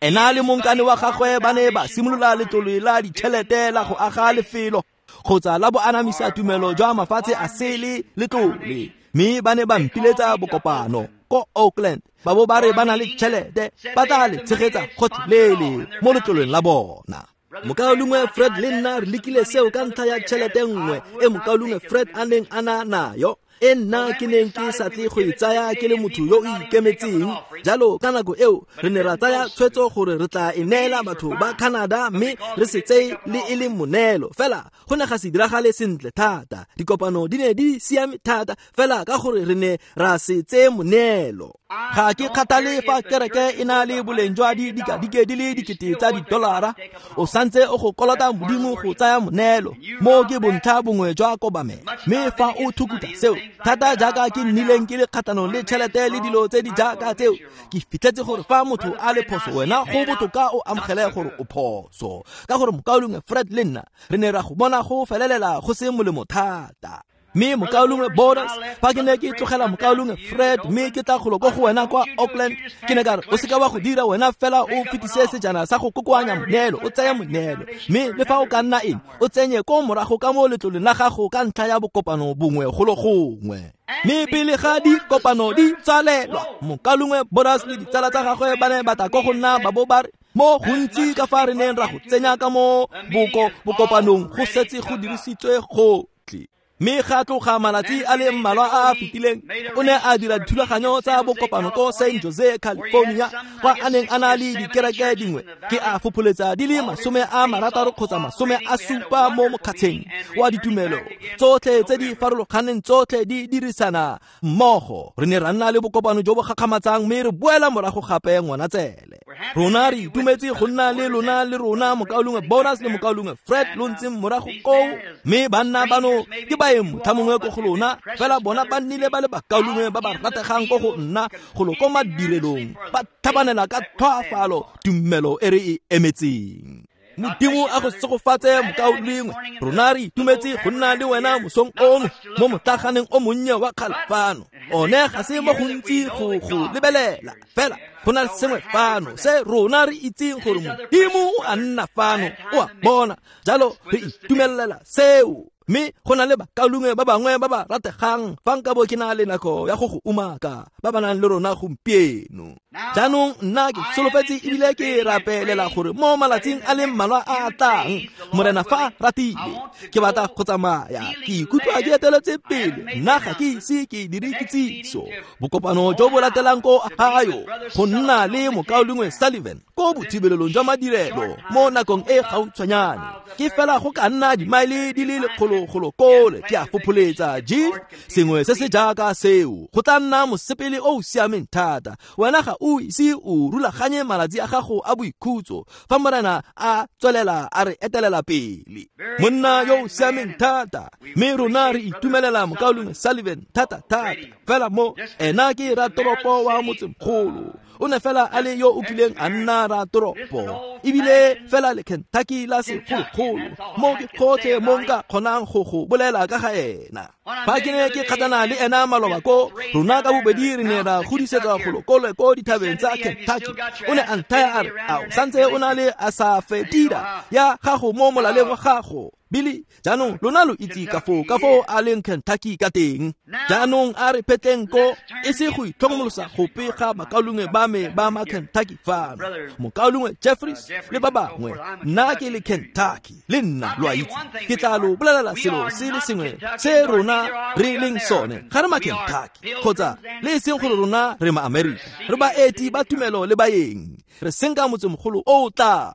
[SPEAKER 1] Ena le monkane wa gagwe ba ne ba simolola letlole la ditšhelete la go aga lefelo kgotsa la boanamisa tumelo jwa mafatshe a sele letlole, mme ba ne ba mpiletsa bokopano ko Oakland, ba bo ba re ba na le tšhelete ba tla le tshegetsa gotlhelele mo letloleng la bona. Mokaulengwe Fred le nna re lekile seo ka ntlha ya tšhelete nngwe e mokaulengwe Fred a neng a na nayo, e nna ke neng ke sa tle go e tsaya ke le motho yo o ikemetseng. Jalo ka nako eo re ne ra tsaya tshwetso gore re tla e neela batho ba Canada, mme re se tseye le e le moneelo. Fela go ne ga se diragale sentle thata, dikopano di ne di siame thata, fela ka gore re ne ra se tseye moneelo. Ga ke kgathale fa kereke e na le boleng jwa didikadike di le dikete tsa didolara, o santse o go kolota Modimo go tsaya moneelo. Mo ke bontlha bongwe jwa kobamelo, mme fa o thukuta seo thata jaaka ke nnileng ke le kgatlhanong le tšhelete le dilo tse di jaaka tseo, ke fitlhetse gore fa motho a le phoso wena go botoka o amogele gore o phoso, ka gore mokaulengwe Fred le nna re ne ra go bona go felelela go se molemo thata. Mme mokaulengwe Borders, fa ke ne ke tlogela mokaulengwe Fred mme ke tla golo ko go wena kwa Oakland, ke ne ka re o seka wa go dira wena fela o fetise sejana sa go kokoanya moneelo, o tseye moneelo, mme le fa o ka nna eng o tsenye ko morago ka mo letloleng la gago ka ntlha ya bokopano bongwe golo gongwe. Mme pele ga dikopano di tsalelwa, mokaulengwe Borders le ditsala tsa gagwe ba ne ba tla ko go nna ba bo ba re mo gontsi ka fa re neng ra go tsenya ka mo boko bokopanong go setse go dirisitswe gotlhe. Mme ga tloga malatsi a le mmalwa a a fetileng, o ne a dira dithulaganyo tsa bokopano ko San Jose, California, kwa a neng a na le dikereke dingwe ke a fopholetsa di le masome a marataro kgotsa masome a supa mo mokgatsheng wa ditumelo tsotlhe tse di farologaneng, tsotlhe di dirisana mmogo. Re ne ra nna le bokopano jo bo gakgamatsang, mme re boela morago gape Ngwanatsele. Rona re itumetse go nna le lona le rona mokaulengwe Bonus le mokaulengwe Fred lo ntseng morago koo, mme banna bano ke baeng motlha mongwe ko go lona, fela bona ba nnile ba le bakaulengwe ba ba rategang ko go nna golo ko madirelong, ba tlhabanela ka tlhoafalo tumelo e re e emetseng. Modimo a go segofatse mokaulengwe, rona re itumetse go nna le wena mosong ono mo motlaganeng o monnye wa kgale fano. One ga se mo gontsi go go lebelela, fela go na le sengwe fano se rona re itseng gore Modimo o a nna fano, o a bona, jalo re itumelela seo. Mme go na le bakaulengwe ba bangwe ba ba rategang fa nka bo ke na le nako ya go go umaka ba ba nang le rona gompieno. Jaanong nna ke solofetse ebile ke rapelela gore mo malatsing a le mmalwa a a tlang, Morena fa ratile, ke batla go tsamaya ke ikutlwa ke eteletse pele, nna ga ke ise ke dire kitsiso. Bokopano jo bo latelang ko Ohio go nna le mokaulengwe Sullivan ko bothibelelong jwa madirelo mo nakong e gautshwanyane, ke fela go ka nna dimaele di le lekgolo golo kole ke a fopholetsa Jean, sengwe se se jaaka seo. Go tla nna mosepele o o siameng thata. Wena ga o ise o rulaganye malatsi a gago a boikhutso fa Morena a tswelela a re etelela pele. Monna yo o siameng thata, mme rona re itumelela mokaulengwe Sullivan thata thata. Fela mo ena ke ratoropo wa motsemogolo, o ne fela a le yo o kileng a nna ratoropo, ebile fela le Kentucky la segologolo, mo ke gotlhe mo nka kgonang go go bolela ka ga ena. Fa ke ne ke kgatlhana le ena maloba ko, rona ka bobedi re ne ra godisetsa golo kole ko dithabeng tsa Kentucky. O ne a nthaya a re, ao santse o na le a sa fetida ya gago mo molaleng wa gago, Billy. Jaanong lona lo itse ka foo ka foo a leng Kentucky ka teng. Jaanong a re phetleng ko e se go itlhokomolosa gope ga bakaulengwe ba me ba ma Kentucky fano, mokaulengwe Jeffries le ba bangwe. Nna ke le Kentucky le nna lo a itse. Ke tla lo bolelela selo se le sengwe se rona re leng sone, ga re ma Kentucky kgotsa le e seng gore rona re ma Amerika, re baeti ba tumelo le baeng, re senka motsemogolo o o tlang.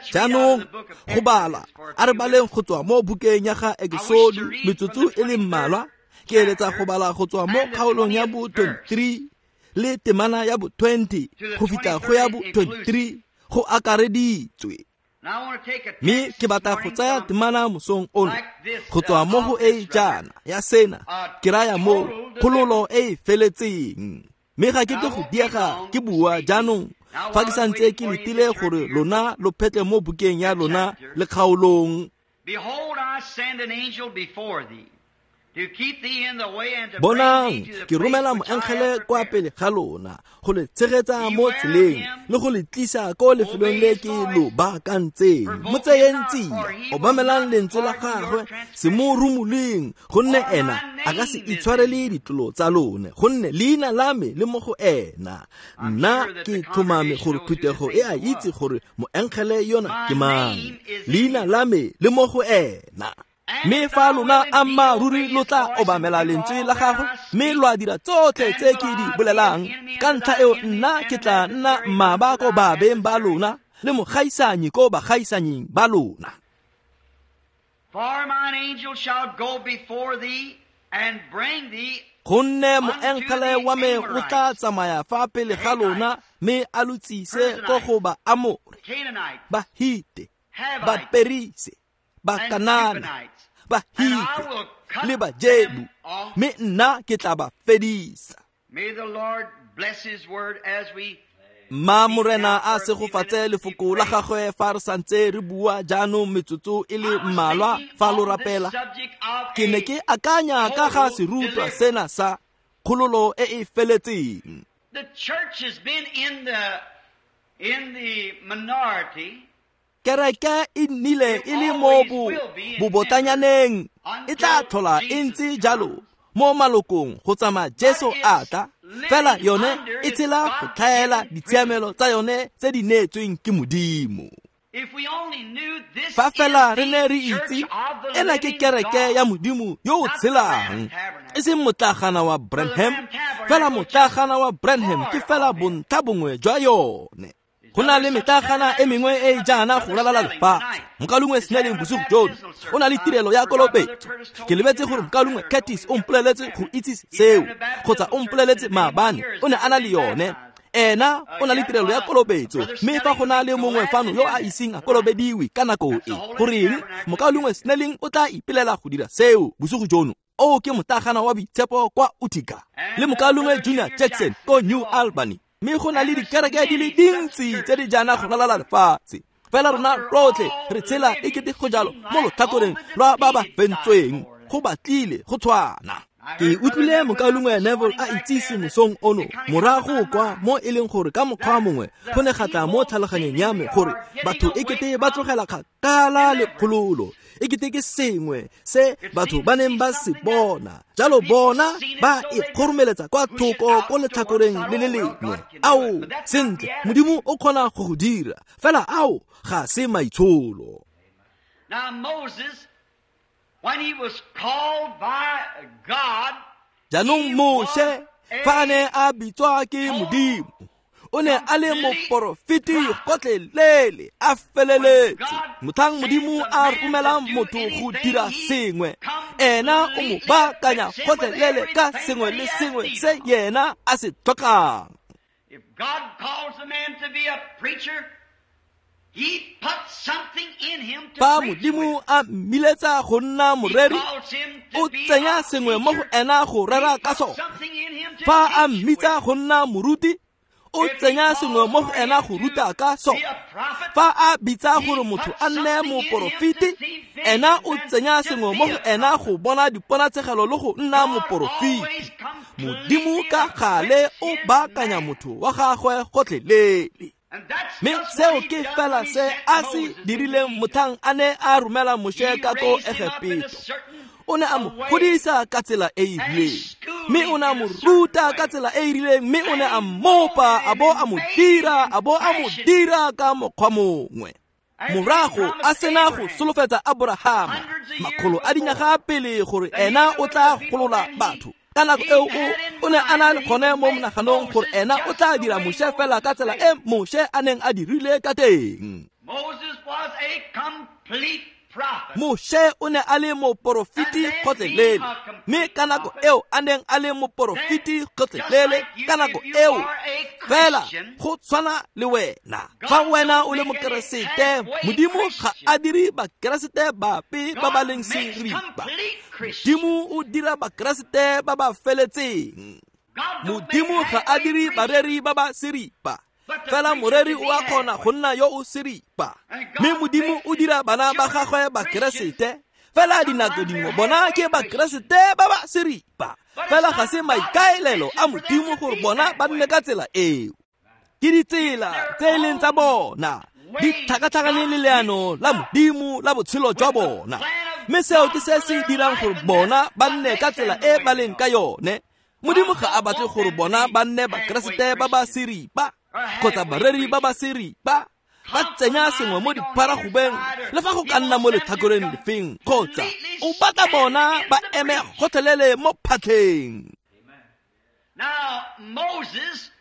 [SPEAKER 1] Jaanong go bala, a re baleng go tswa mo bukeng ya ga Exodo metsotso e le mmalwa. Ke eletsa go bala go tswa mo kgaolong ya bo twenty-three le temana ya bo twenty go fitlha go ya bo twenty-three go akareditswe. Mme ke batla go tsaya temana mosong ono go tswa mo go e jaana ya sena, ke raya mo kgololo e e feletseng. Mme ga ke tle go diega ke bua jaanong fa ke santse ke letile gore lona lo phetle mo bukeng ya lona le kgaolong. Bonang, ke romela moengele kwa pele ga lona go le tshegetsa mo tseleng le go le tlisa ko lefelong le ke lo baakantseng. Mo tseyeng tsia, obamelang lentswe la gagwe, se mo rumoleng, gonne ena a ka se itshwarele ditlolo tsa lone, gonne leina la me le mo go ena. Nna ke tlhomame gore phuthego e a itse gore moengele yona ke mang, leina la me le mo go ena. Mme fa lona ammaaruri lo tla obamela lentswe la gagwe, mme lo a dira tsotlhe tse ke di bolelang, ka ntlha eo nna ke tla nna mmaba ko babeng ba lona le mogaisanyi ko bagaisanying ba lona. Gonne moengele wa me o tla tsamaya fa pele ga lona, mme a lo tsise ko go ba Amore, ba Hite, ba Perise, ba Kanana, ba Hife le ba Jebu, mme nna ke tla ba fedisa. Mma Morena a segofatse lefoko la gagwe fa re santse re bua jaanong metsotso e le mmalwa fa lo rapela. Ke ne ke akanya ka ga serutwa sena sa kgololo e e feletseng. Kereke e nnile e le mo bobotanyaneng, e tla tlhola e ntse jalo mo malokong go tsamaya Jesu a tla, fela yone e tshela go tlhaela ditshiamelo tsa yone tse di neetsweng ke Modimo. Fa fela re ne re itse ena ke kereke ya Modimo yo o tshelang, e seng motlagana wa Branham, fela motlagana wa Branham ke fela bontlha bongwe jwa yone. Go na le metlagana e mengwe e e jaana go ralala lefatshe. Mokaulengwe Snelling bosigo jono o na le tirelo ya kolobetso. Ke lebetse gore mokaulengwe Curtis o mpoleletse go itse seo, kgotsa o mpoleletse maabane o ne a na le yone. Ena o na le tirelo ya kolobetso, mme fa go na le mongwe fano yo a iseng a kolobediwe ka nako e, goreng mokaulengwe Snelling o tla ipelela go dira seo bosigo jono. O ke motlagana wa boitshepo kwa Utica, le mokaulengwe Junior Jackson ko New Albany. Mme go na le dikereke di le dintsi tse di jaana go ralala lefatshe. Fela rona rotlhe re tshela e kete go jalo mo lotlhakoreng lwa ba ba fentsweng, go batlile go tshwana. Ke utlwile mokaulengwe Neville a itsise mosong ono morago kwa mo e leng gore ka mokgwa mongwe go ne ga tla mo tlhaloganyong ya me gore batho e kete ba tlogela kgakala le kgololo, e kete ke sengwe se batho ba neng ba se bona. Jalo bona ba e kgoromeletsa kwa thoko ko letlhakoreng le le lengwe. Ao, sentle, Modimo o kgona go go dira, fela ao ga se maitsholo.
[SPEAKER 2] Now Moses, when he was called by God,
[SPEAKER 1] Jaanong Moshe fa a ne a bitswa ke Modimo, o ne a le moporofeti gotlhelele, a feleletse. Motlhang Modimo a romelang motho go dira sengwe, ena o mo baakanya gotlhelele ka sengwe le sengwe se yena a se tlhokang.
[SPEAKER 2] If God calls a man to be a preacher, he puts something in him to
[SPEAKER 1] Fa
[SPEAKER 2] preach
[SPEAKER 1] Modimo
[SPEAKER 2] with.
[SPEAKER 1] a mmiletsa go nna
[SPEAKER 2] He
[SPEAKER 1] moreri,
[SPEAKER 2] calls him to
[SPEAKER 1] o
[SPEAKER 2] be
[SPEAKER 1] tsenya
[SPEAKER 2] a
[SPEAKER 1] sengwe mo go
[SPEAKER 2] teacher.
[SPEAKER 1] ena go rera
[SPEAKER 2] He
[SPEAKER 1] ka
[SPEAKER 2] puts
[SPEAKER 1] sone.
[SPEAKER 2] something in him to
[SPEAKER 1] Fa a
[SPEAKER 2] teach
[SPEAKER 1] mmitsa
[SPEAKER 2] with.
[SPEAKER 1] go nna moruti, o
[SPEAKER 2] If he
[SPEAKER 1] tsenya sengwe mo
[SPEAKER 2] calls
[SPEAKER 1] go
[SPEAKER 2] for
[SPEAKER 1] ena
[SPEAKER 2] him
[SPEAKER 1] go
[SPEAKER 2] to
[SPEAKER 1] ruta ka
[SPEAKER 2] be
[SPEAKER 1] sone.
[SPEAKER 2] a prophet,
[SPEAKER 1] Fa a bitsa
[SPEAKER 2] he
[SPEAKER 1] gore motho
[SPEAKER 2] puts
[SPEAKER 1] a nne
[SPEAKER 2] something in him to
[SPEAKER 1] moporofeti,
[SPEAKER 2] see
[SPEAKER 1] ena
[SPEAKER 2] visions
[SPEAKER 1] o
[SPEAKER 2] and
[SPEAKER 1] tsenya
[SPEAKER 2] to
[SPEAKER 1] sengwe
[SPEAKER 2] be
[SPEAKER 1] mo go
[SPEAKER 2] a
[SPEAKER 1] ena
[SPEAKER 2] prophet.
[SPEAKER 1] go bona diponatshegelo le go nna
[SPEAKER 2] God
[SPEAKER 1] moporofeti.
[SPEAKER 2] always
[SPEAKER 1] Modimo
[SPEAKER 2] completely
[SPEAKER 1] ka gale o
[SPEAKER 2] equips his
[SPEAKER 1] baakanya
[SPEAKER 2] man.
[SPEAKER 1] motho wa gagwe gotlhelele.
[SPEAKER 2] And that's
[SPEAKER 1] Mme
[SPEAKER 2] just
[SPEAKER 1] seo
[SPEAKER 2] what he
[SPEAKER 1] ke
[SPEAKER 2] done
[SPEAKER 1] fela
[SPEAKER 2] when he
[SPEAKER 1] se
[SPEAKER 2] sent
[SPEAKER 1] a se
[SPEAKER 2] Moses into
[SPEAKER 1] dirileng
[SPEAKER 2] Egypt.
[SPEAKER 1] motlhang a ne a romela Moshe
[SPEAKER 2] He
[SPEAKER 1] ka ko
[SPEAKER 2] raised him up in a
[SPEAKER 1] Egepeto.
[SPEAKER 2] certain
[SPEAKER 1] O ne a mo
[SPEAKER 2] way,
[SPEAKER 1] godisa ka tsela e e
[SPEAKER 2] and he
[SPEAKER 1] rileng,
[SPEAKER 2] schooled
[SPEAKER 1] mme
[SPEAKER 2] him
[SPEAKER 1] o ne a
[SPEAKER 2] in
[SPEAKER 1] mo
[SPEAKER 2] a certain
[SPEAKER 1] ruta
[SPEAKER 2] way.
[SPEAKER 1] ka tsela e e rileng, mme o ne
[SPEAKER 2] And
[SPEAKER 1] a
[SPEAKER 2] he
[SPEAKER 1] mmopa,
[SPEAKER 2] molded
[SPEAKER 1] a
[SPEAKER 2] him
[SPEAKER 1] bo
[SPEAKER 2] and
[SPEAKER 1] a mo
[SPEAKER 2] made him
[SPEAKER 1] dira,
[SPEAKER 2] and
[SPEAKER 1] a bo a mo
[SPEAKER 2] fashioned him.
[SPEAKER 1] dira ka mokgwa mongwe.
[SPEAKER 2] After he
[SPEAKER 1] Morago a
[SPEAKER 2] promised
[SPEAKER 1] sena go
[SPEAKER 2] Abraham
[SPEAKER 1] solofetsa Aborahama
[SPEAKER 2] hundreds of years
[SPEAKER 1] makgolo a
[SPEAKER 2] before
[SPEAKER 1] dinyaga pele gore
[SPEAKER 2] that he
[SPEAKER 1] ena o
[SPEAKER 2] delivered
[SPEAKER 1] tla
[SPEAKER 2] the people,
[SPEAKER 1] golola
[SPEAKER 2] then he
[SPEAKER 1] batho. Ka nako
[SPEAKER 2] he
[SPEAKER 1] eo o
[SPEAKER 2] had in
[SPEAKER 1] o ne a na
[SPEAKER 2] mind
[SPEAKER 1] le
[SPEAKER 2] that he
[SPEAKER 1] gone
[SPEAKER 2] would
[SPEAKER 1] mo
[SPEAKER 2] make
[SPEAKER 1] monaganong gore
[SPEAKER 2] Moses
[SPEAKER 1] ena o
[SPEAKER 2] just
[SPEAKER 1] tla
[SPEAKER 2] the
[SPEAKER 1] dira
[SPEAKER 2] way
[SPEAKER 1] Moshe fela ka
[SPEAKER 2] Moses
[SPEAKER 1] tsela
[SPEAKER 2] made.
[SPEAKER 1] e Moshe a neng a dirile ka teng.
[SPEAKER 2] Moses was a complete prophet.
[SPEAKER 1] Moshe o ne a le
[SPEAKER 2] And
[SPEAKER 1] moporofeti
[SPEAKER 2] then being
[SPEAKER 1] gotlhelele,
[SPEAKER 2] a
[SPEAKER 1] mme
[SPEAKER 2] complete
[SPEAKER 1] ka nako
[SPEAKER 2] prophet,
[SPEAKER 1] eo a neng a le
[SPEAKER 2] then
[SPEAKER 1] moporofeti
[SPEAKER 2] just
[SPEAKER 1] gotlhelele
[SPEAKER 2] like you,
[SPEAKER 1] ka nako
[SPEAKER 2] if you
[SPEAKER 1] eo
[SPEAKER 2] are a
[SPEAKER 1] fela
[SPEAKER 2] Christian,
[SPEAKER 1] go tshwana le wena. Fa
[SPEAKER 2] God
[SPEAKER 1] wena
[SPEAKER 2] don't
[SPEAKER 1] o le
[SPEAKER 2] make any
[SPEAKER 1] mokeresete,
[SPEAKER 2] halfway
[SPEAKER 1] Modimo ga
[SPEAKER 2] Christian.
[SPEAKER 1] a dire bakeresete bape ba ba
[SPEAKER 2] God
[SPEAKER 1] leng
[SPEAKER 2] makes
[SPEAKER 1] seripa.
[SPEAKER 2] complete Christians.
[SPEAKER 1] Modimo o dira bakeresete ba ba feletseng.
[SPEAKER 2] God don't make
[SPEAKER 1] Modimo ga a
[SPEAKER 2] halfway
[SPEAKER 1] dire
[SPEAKER 2] preachers,
[SPEAKER 1] bareri ba ba seripa,
[SPEAKER 2] but the
[SPEAKER 1] fela
[SPEAKER 2] preacher
[SPEAKER 1] moreri
[SPEAKER 2] can
[SPEAKER 1] o
[SPEAKER 2] be
[SPEAKER 1] a kgona
[SPEAKER 2] halfway.
[SPEAKER 1] go nna yo o seripa.
[SPEAKER 2] And
[SPEAKER 1] Mme
[SPEAKER 2] God
[SPEAKER 1] Modimo
[SPEAKER 2] makes
[SPEAKER 1] o
[SPEAKER 2] his
[SPEAKER 1] dira bana ba
[SPEAKER 2] children
[SPEAKER 1] gagwe
[SPEAKER 2] Christians.
[SPEAKER 1] bakeresete, fela dinako
[SPEAKER 2] Sometimes
[SPEAKER 1] dingwe
[SPEAKER 2] they're
[SPEAKER 1] bona
[SPEAKER 2] halfway
[SPEAKER 1] ke
[SPEAKER 2] Christians.
[SPEAKER 1] bakeresete ba ba seripa.
[SPEAKER 2] But it's
[SPEAKER 1] Fela ga
[SPEAKER 2] not
[SPEAKER 1] se
[SPEAKER 2] God's
[SPEAKER 1] maikaelelo a
[SPEAKER 2] intention for them
[SPEAKER 1] Modimo
[SPEAKER 2] to
[SPEAKER 1] gore
[SPEAKER 2] be
[SPEAKER 1] bona ba
[SPEAKER 2] that
[SPEAKER 1] nne
[SPEAKER 2] way.
[SPEAKER 1] ka tsela eo. Ke ditsela
[SPEAKER 2] Their
[SPEAKER 1] tse e leng tsa
[SPEAKER 2] own
[SPEAKER 1] bona di
[SPEAKER 2] ways
[SPEAKER 1] tlhakatlhakane
[SPEAKER 2] got
[SPEAKER 1] le leano
[SPEAKER 2] mixed
[SPEAKER 1] la
[SPEAKER 2] up
[SPEAKER 1] Modimo la botshelo jwa
[SPEAKER 2] with the
[SPEAKER 1] bona.
[SPEAKER 2] plan of
[SPEAKER 1] Mme seo ke
[SPEAKER 2] God
[SPEAKER 1] se
[SPEAKER 2] for
[SPEAKER 1] se
[SPEAKER 2] their
[SPEAKER 1] dirang
[SPEAKER 2] life,
[SPEAKER 1] gore
[SPEAKER 2] and
[SPEAKER 1] bona
[SPEAKER 2] that's
[SPEAKER 1] ba
[SPEAKER 2] what
[SPEAKER 1] nne ka
[SPEAKER 2] makes
[SPEAKER 1] tsela
[SPEAKER 2] them the
[SPEAKER 1] e
[SPEAKER 2] way
[SPEAKER 1] ba
[SPEAKER 2] they
[SPEAKER 1] leng ka
[SPEAKER 2] are.
[SPEAKER 1] yone. Modimo
[SPEAKER 2] God
[SPEAKER 1] ga a
[SPEAKER 2] don't
[SPEAKER 1] batle
[SPEAKER 2] want
[SPEAKER 1] gore
[SPEAKER 2] them to
[SPEAKER 1] bona
[SPEAKER 2] be
[SPEAKER 1] ba nne
[SPEAKER 2] halfway
[SPEAKER 1] bakeresete ba ba
[SPEAKER 2] Christians
[SPEAKER 1] seripa
[SPEAKER 2] or
[SPEAKER 1] kgotsa
[SPEAKER 2] halfway
[SPEAKER 1] bareri ba ba
[SPEAKER 2] preachers,
[SPEAKER 1] seripa. Ba tsenya sengwe mo
[SPEAKER 2] compromising on either
[SPEAKER 1] diparagobeng
[SPEAKER 2] side, or
[SPEAKER 1] le fa go
[SPEAKER 2] he
[SPEAKER 1] ka nna
[SPEAKER 2] wants
[SPEAKER 1] mo
[SPEAKER 2] them to
[SPEAKER 1] letlhakoreng lefeng, kgotsa
[SPEAKER 2] completely
[SPEAKER 1] o batla
[SPEAKER 2] stand
[SPEAKER 1] bona
[SPEAKER 2] in
[SPEAKER 1] ba
[SPEAKER 2] the
[SPEAKER 1] eme
[SPEAKER 2] breach.
[SPEAKER 1] gotlhelele mo phatlheng.
[SPEAKER 2] Now, Moses,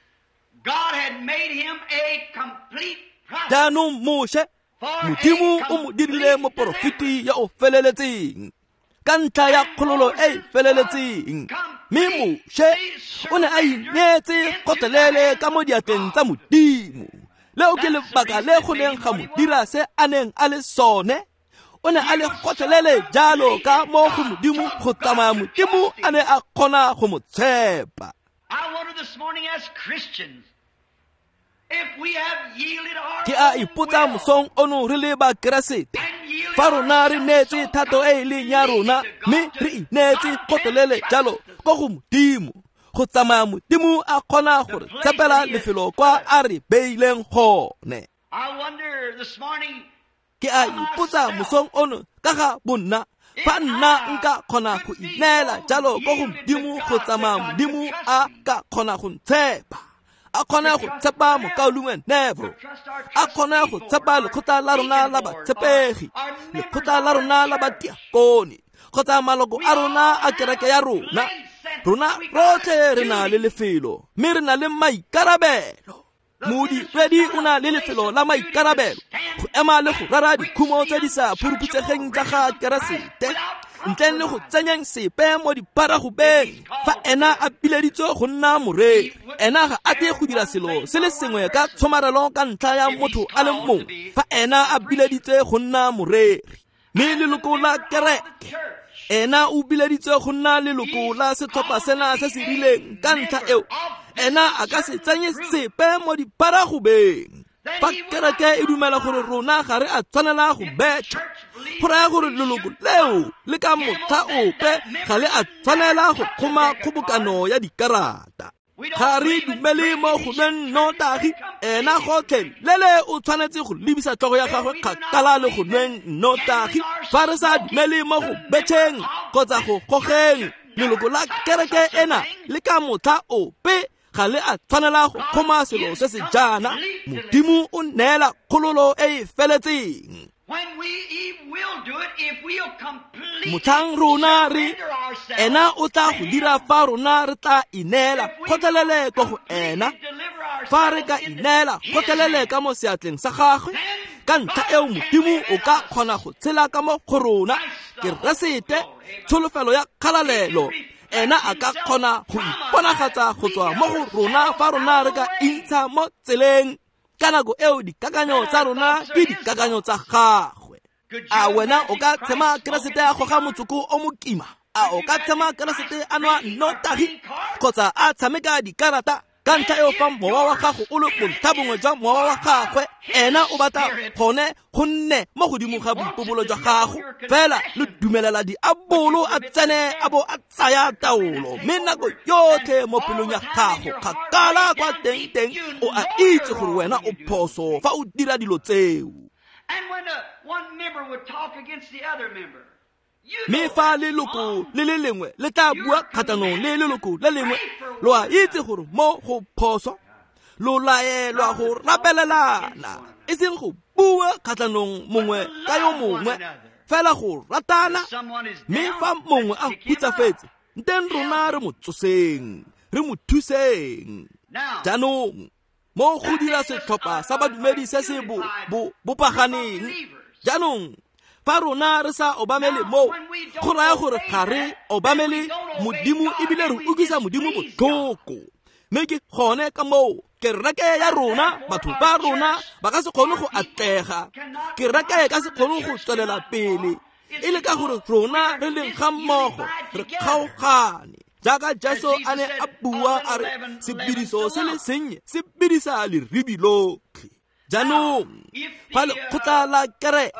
[SPEAKER 2] God had made him a complete prophet
[SPEAKER 1] Jaanong Moshe,
[SPEAKER 2] for a
[SPEAKER 1] Modimo o mo dirile
[SPEAKER 2] complete
[SPEAKER 1] moporofeti
[SPEAKER 2] deliverance.
[SPEAKER 1] yo o feleletseng ka ntlha ya
[SPEAKER 2] And
[SPEAKER 1] kgololo e e
[SPEAKER 2] Moses was
[SPEAKER 1] feleletseng. Mme Moshe
[SPEAKER 2] completely
[SPEAKER 1] o ne a
[SPEAKER 2] surrendered
[SPEAKER 1] ineetse
[SPEAKER 2] into the
[SPEAKER 1] gotlhelele
[SPEAKER 2] hands
[SPEAKER 1] ka mo
[SPEAKER 2] of
[SPEAKER 1] diatleng tsa
[SPEAKER 2] God.
[SPEAKER 1] Modimo. Leo ke
[SPEAKER 2] That's the
[SPEAKER 1] lebaka
[SPEAKER 2] reason
[SPEAKER 1] le
[SPEAKER 2] it
[SPEAKER 1] go
[SPEAKER 2] made
[SPEAKER 1] neng
[SPEAKER 2] him
[SPEAKER 1] ga
[SPEAKER 2] what
[SPEAKER 1] mo
[SPEAKER 2] he
[SPEAKER 1] dira
[SPEAKER 2] was.
[SPEAKER 1] se a neng a le sone. O ne a
[SPEAKER 2] He
[SPEAKER 1] le
[SPEAKER 2] was so
[SPEAKER 1] gotlhelele jalo ka
[SPEAKER 2] completely
[SPEAKER 1] mo go
[SPEAKER 2] God
[SPEAKER 1] Modimo
[SPEAKER 2] till
[SPEAKER 1] go
[SPEAKER 2] God
[SPEAKER 1] tsamaya
[SPEAKER 2] could
[SPEAKER 1] Modimo
[SPEAKER 2] trust
[SPEAKER 1] a
[SPEAKER 2] him.
[SPEAKER 1] ne a kgona go mo tshepa.
[SPEAKER 2] I wonder this morning as Christians, if we have yielded our
[SPEAKER 1] Ke a
[SPEAKER 2] own
[SPEAKER 1] ipotsa
[SPEAKER 2] will
[SPEAKER 1] mosong ono re le bakeresete,
[SPEAKER 2] and yielded
[SPEAKER 1] fa rona re
[SPEAKER 2] ourselves
[SPEAKER 1] neetse
[SPEAKER 2] so
[SPEAKER 1] thato e e leng ya
[SPEAKER 2] completely
[SPEAKER 1] rona
[SPEAKER 2] to
[SPEAKER 1] mme
[SPEAKER 2] God
[SPEAKER 1] re
[SPEAKER 2] to
[SPEAKER 1] ineetse
[SPEAKER 2] God can
[SPEAKER 1] gotlhelele
[SPEAKER 2] trust
[SPEAKER 1] jalo
[SPEAKER 2] us.
[SPEAKER 1] ko go Modimo go tsamaya Modimo a kgona
[SPEAKER 2] The
[SPEAKER 1] go re
[SPEAKER 2] place
[SPEAKER 1] tshepela
[SPEAKER 2] that he has
[SPEAKER 1] lefelo
[SPEAKER 2] put
[SPEAKER 1] kwa
[SPEAKER 2] us.
[SPEAKER 1] a re beileng gone.
[SPEAKER 2] I wonder this morning
[SPEAKER 1] Ke a
[SPEAKER 2] for
[SPEAKER 1] ipotsa
[SPEAKER 2] myself
[SPEAKER 1] mosong ono ka ga bonna,
[SPEAKER 2] if
[SPEAKER 1] fa nna
[SPEAKER 2] I
[SPEAKER 1] nka kgona go
[SPEAKER 2] could be
[SPEAKER 1] ineela
[SPEAKER 2] so
[SPEAKER 1] jalo ko go
[SPEAKER 2] yielded to
[SPEAKER 1] Modimo go
[SPEAKER 2] God that
[SPEAKER 1] tsamaya
[SPEAKER 2] God could
[SPEAKER 1] Modimo
[SPEAKER 2] trust
[SPEAKER 1] a
[SPEAKER 2] me,
[SPEAKER 1] ka kgona go ntshepa, a kgone
[SPEAKER 2] to
[SPEAKER 1] go
[SPEAKER 2] trust
[SPEAKER 1] tshepa
[SPEAKER 2] them,
[SPEAKER 1] mokaulengwe
[SPEAKER 2] to
[SPEAKER 1] Neville,
[SPEAKER 2] trust our
[SPEAKER 1] a
[SPEAKER 2] trust
[SPEAKER 1] kgone go
[SPEAKER 2] people,
[SPEAKER 1] tshepa
[SPEAKER 2] our
[SPEAKER 1] lekgotla la rona
[SPEAKER 2] deacon
[SPEAKER 1] la
[SPEAKER 2] board, our,
[SPEAKER 1] batshepegi,
[SPEAKER 2] our members
[SPEAKER 1] lekgotla
[SPEAKER 2] of
[SPEAKER 1] la
[SPEAKER 2] our
[SPEAKER 1] rona la
[SPEAKER 2] church.
[SPEAKER 1] badiakone, kgotsa maloko
[SPEAKER 2] We
[SPEAKER 1] a rona
[SPEAKER 2] all
[SPEAKER 1] a kereke
[SPEAKER 2] have
[SPEAKER 1] ya
[SPEAKER 2] a
[SPEAKER 1] rona.
[SPEAKER 2] place and
[SPEAKER 1] Rona
[SPEAKER 2] we got a
[SPEAKER 1] rotlhe re na le
[SPEAKER 2] duty.
[SPEAKER 1] lefelo mme re na le maikarabelo. Modiredi o na le lefelo la maikarabelo go ema le go rera dikhumo tse di sa phuruputsegeng tsa ga Keresete ntleng le go tsenyeng sepe mo diparagobeng. Fa ena a bileditswe go nna moreri, ena ga a tle go dira selo se le sengwe ka tshomarelo ka ntlha ya motho a le mongwe. Fa ena a bileditswe go nna moreri, mme leloko la kereke, ena o bileditswe go nna leloko la setlhopha sena se se rileng ka ntlha eo, ena a ka se tsenye sepe mo diparagobeng. Fa kereke e dumela gore rona ga re a tshwanela go betšha, go raya gore leloko leo le ka motlha ope ga le a tshwanela go kgoma kgobokano ya dikarata. Ga re dumele mo go nweng nnotagi, ena gotlhelele o tshwanetse go lebisa tlhogo ya gagwe kgakala le go nweng nnotagi. Fa re sa dumele mo go betšheng kgotsa go gogeng, leloko la kereke ena le ka motlha ope ga le a tshwanela go kgoma selo se se jaana. Modimo o neela kgololo e e feletseng. Motlhang rona re ena o tla go dira fa rona re tla ineela kgotlelele ko go ena. Fa re ka ineela kgotlelele ka mo seatleng sa gagwe, ka ntlha eo Modimo o ka kgona go tshela ka mo go rona. Keresete, tsholofelo ya kgalalelo, ena a ka kgona go iponagatsa go tswa mo go rona fa rona re ka intsha mo tseleng. Ka nako eo dikakanyo tsa rona ke dikakanyo tsa gagwe. A wena o ka tshema Keresete a goga motsoko o mokima? A o ka tshema Keresete a nwa nnotagi kgotsa a tshameka dikarata? Ka ntlha eo fa mowa wa gago o le bontlha bongwe jwa mowa wa gagwe, ena o batla gone go nne mo godimo ga boipobolo jwa gago. Fela lo dumelela diabolo a tsene a bo a tsaya taolo, mme nako yotlhe mo pelong ya gago kgakala kwa teng-teng o a itse gore wena o phoso fa o dira dilo tseo. Mme fa leloko le le lengwe le tla bua kgatlhanong le leloko le lengwe, lo a itse gore mo go phoso, lo laelwa go rapelelana, e seng go bua kgatlhanong mongwe ka yo mongwe, fela go ratana. Mme fa mongwe a hutsafetse, nteng rona re mo tsoseng, re mo thuseng. Jaanong mo go dira setlhopha sa badumedi se se bo bopaganeng. Jaanong fa rona re sa obamele mo, go raya gore ga re obamele Modimo ebile re utlwisa Modimo botlhoko. Mme ke gone ka moo kereke ya rona, batho ba rona ba ka se kgone go atlega, kereke e ka se kgone go tswelela pele, e le ka gore rona re leng ga mmogo re kgaogane. Jaaka Jesu a ne a bua a re sebediso se le sennye se bedisa leribi lotlhe. Jaanong fa lekgotla la kereke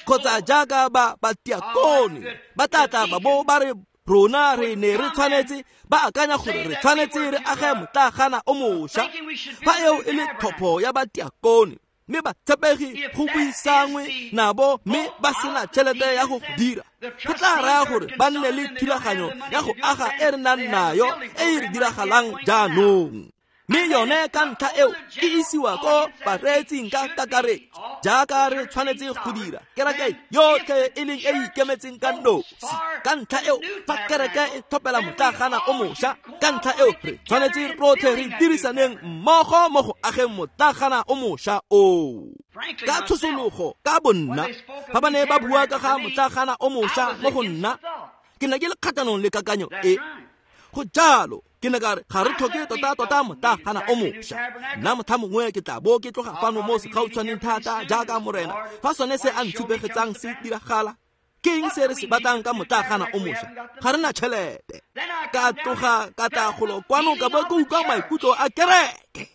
[SPEAKER 1] kgotsa jaaka ba batiakone ba tla tla ba bo ba re rona re ne re tshwanetse, ba akanya gore re tshwanetse re age motlagana o mošwa. Fa eo e le tlhopho ya batiakone, mme ba tshepegi go buisangwe nabo mme ba sena tšhelete ya go dira, go tla raya gore ba nne le thulaganyo ya go aga e re nang nayo e e re diragalang jaanong. Mme yone ka ntlha eo e isiwa ko bareetsing ka kakaretso, jaaka re tshwanetse go dira kereke yotlhe e leng e ikemetseng ka nosi. Ka ntlha eo fa kereke e tlhophela motlagana o mošwa, ka ntlha eo re tshwanetse rotlhe re dirisaneng mmogo mo go ageng motlagana o mošwa oo. Ka tshosologo ka bonna, fa ba ne ba bua ka ga motlagana o mošwa mo go nna, ke ne ke le kgatlhanong le kakanyo e. Go jalo ke ne ka re ga re tlhoke tota-tota motlagana o mošwa. Nna motlha mongwe ke tla bo ke tloga fano mo segautshwaneng thata jaaka morena, fa sone se a ntshupegetsang se diragala. Ke eng se re se batlang ka motlagana o mošwa? Ga re na tšhelete. Ka tloga ka tla golo kwano ka bo ke utlwa maikutlo a kereke,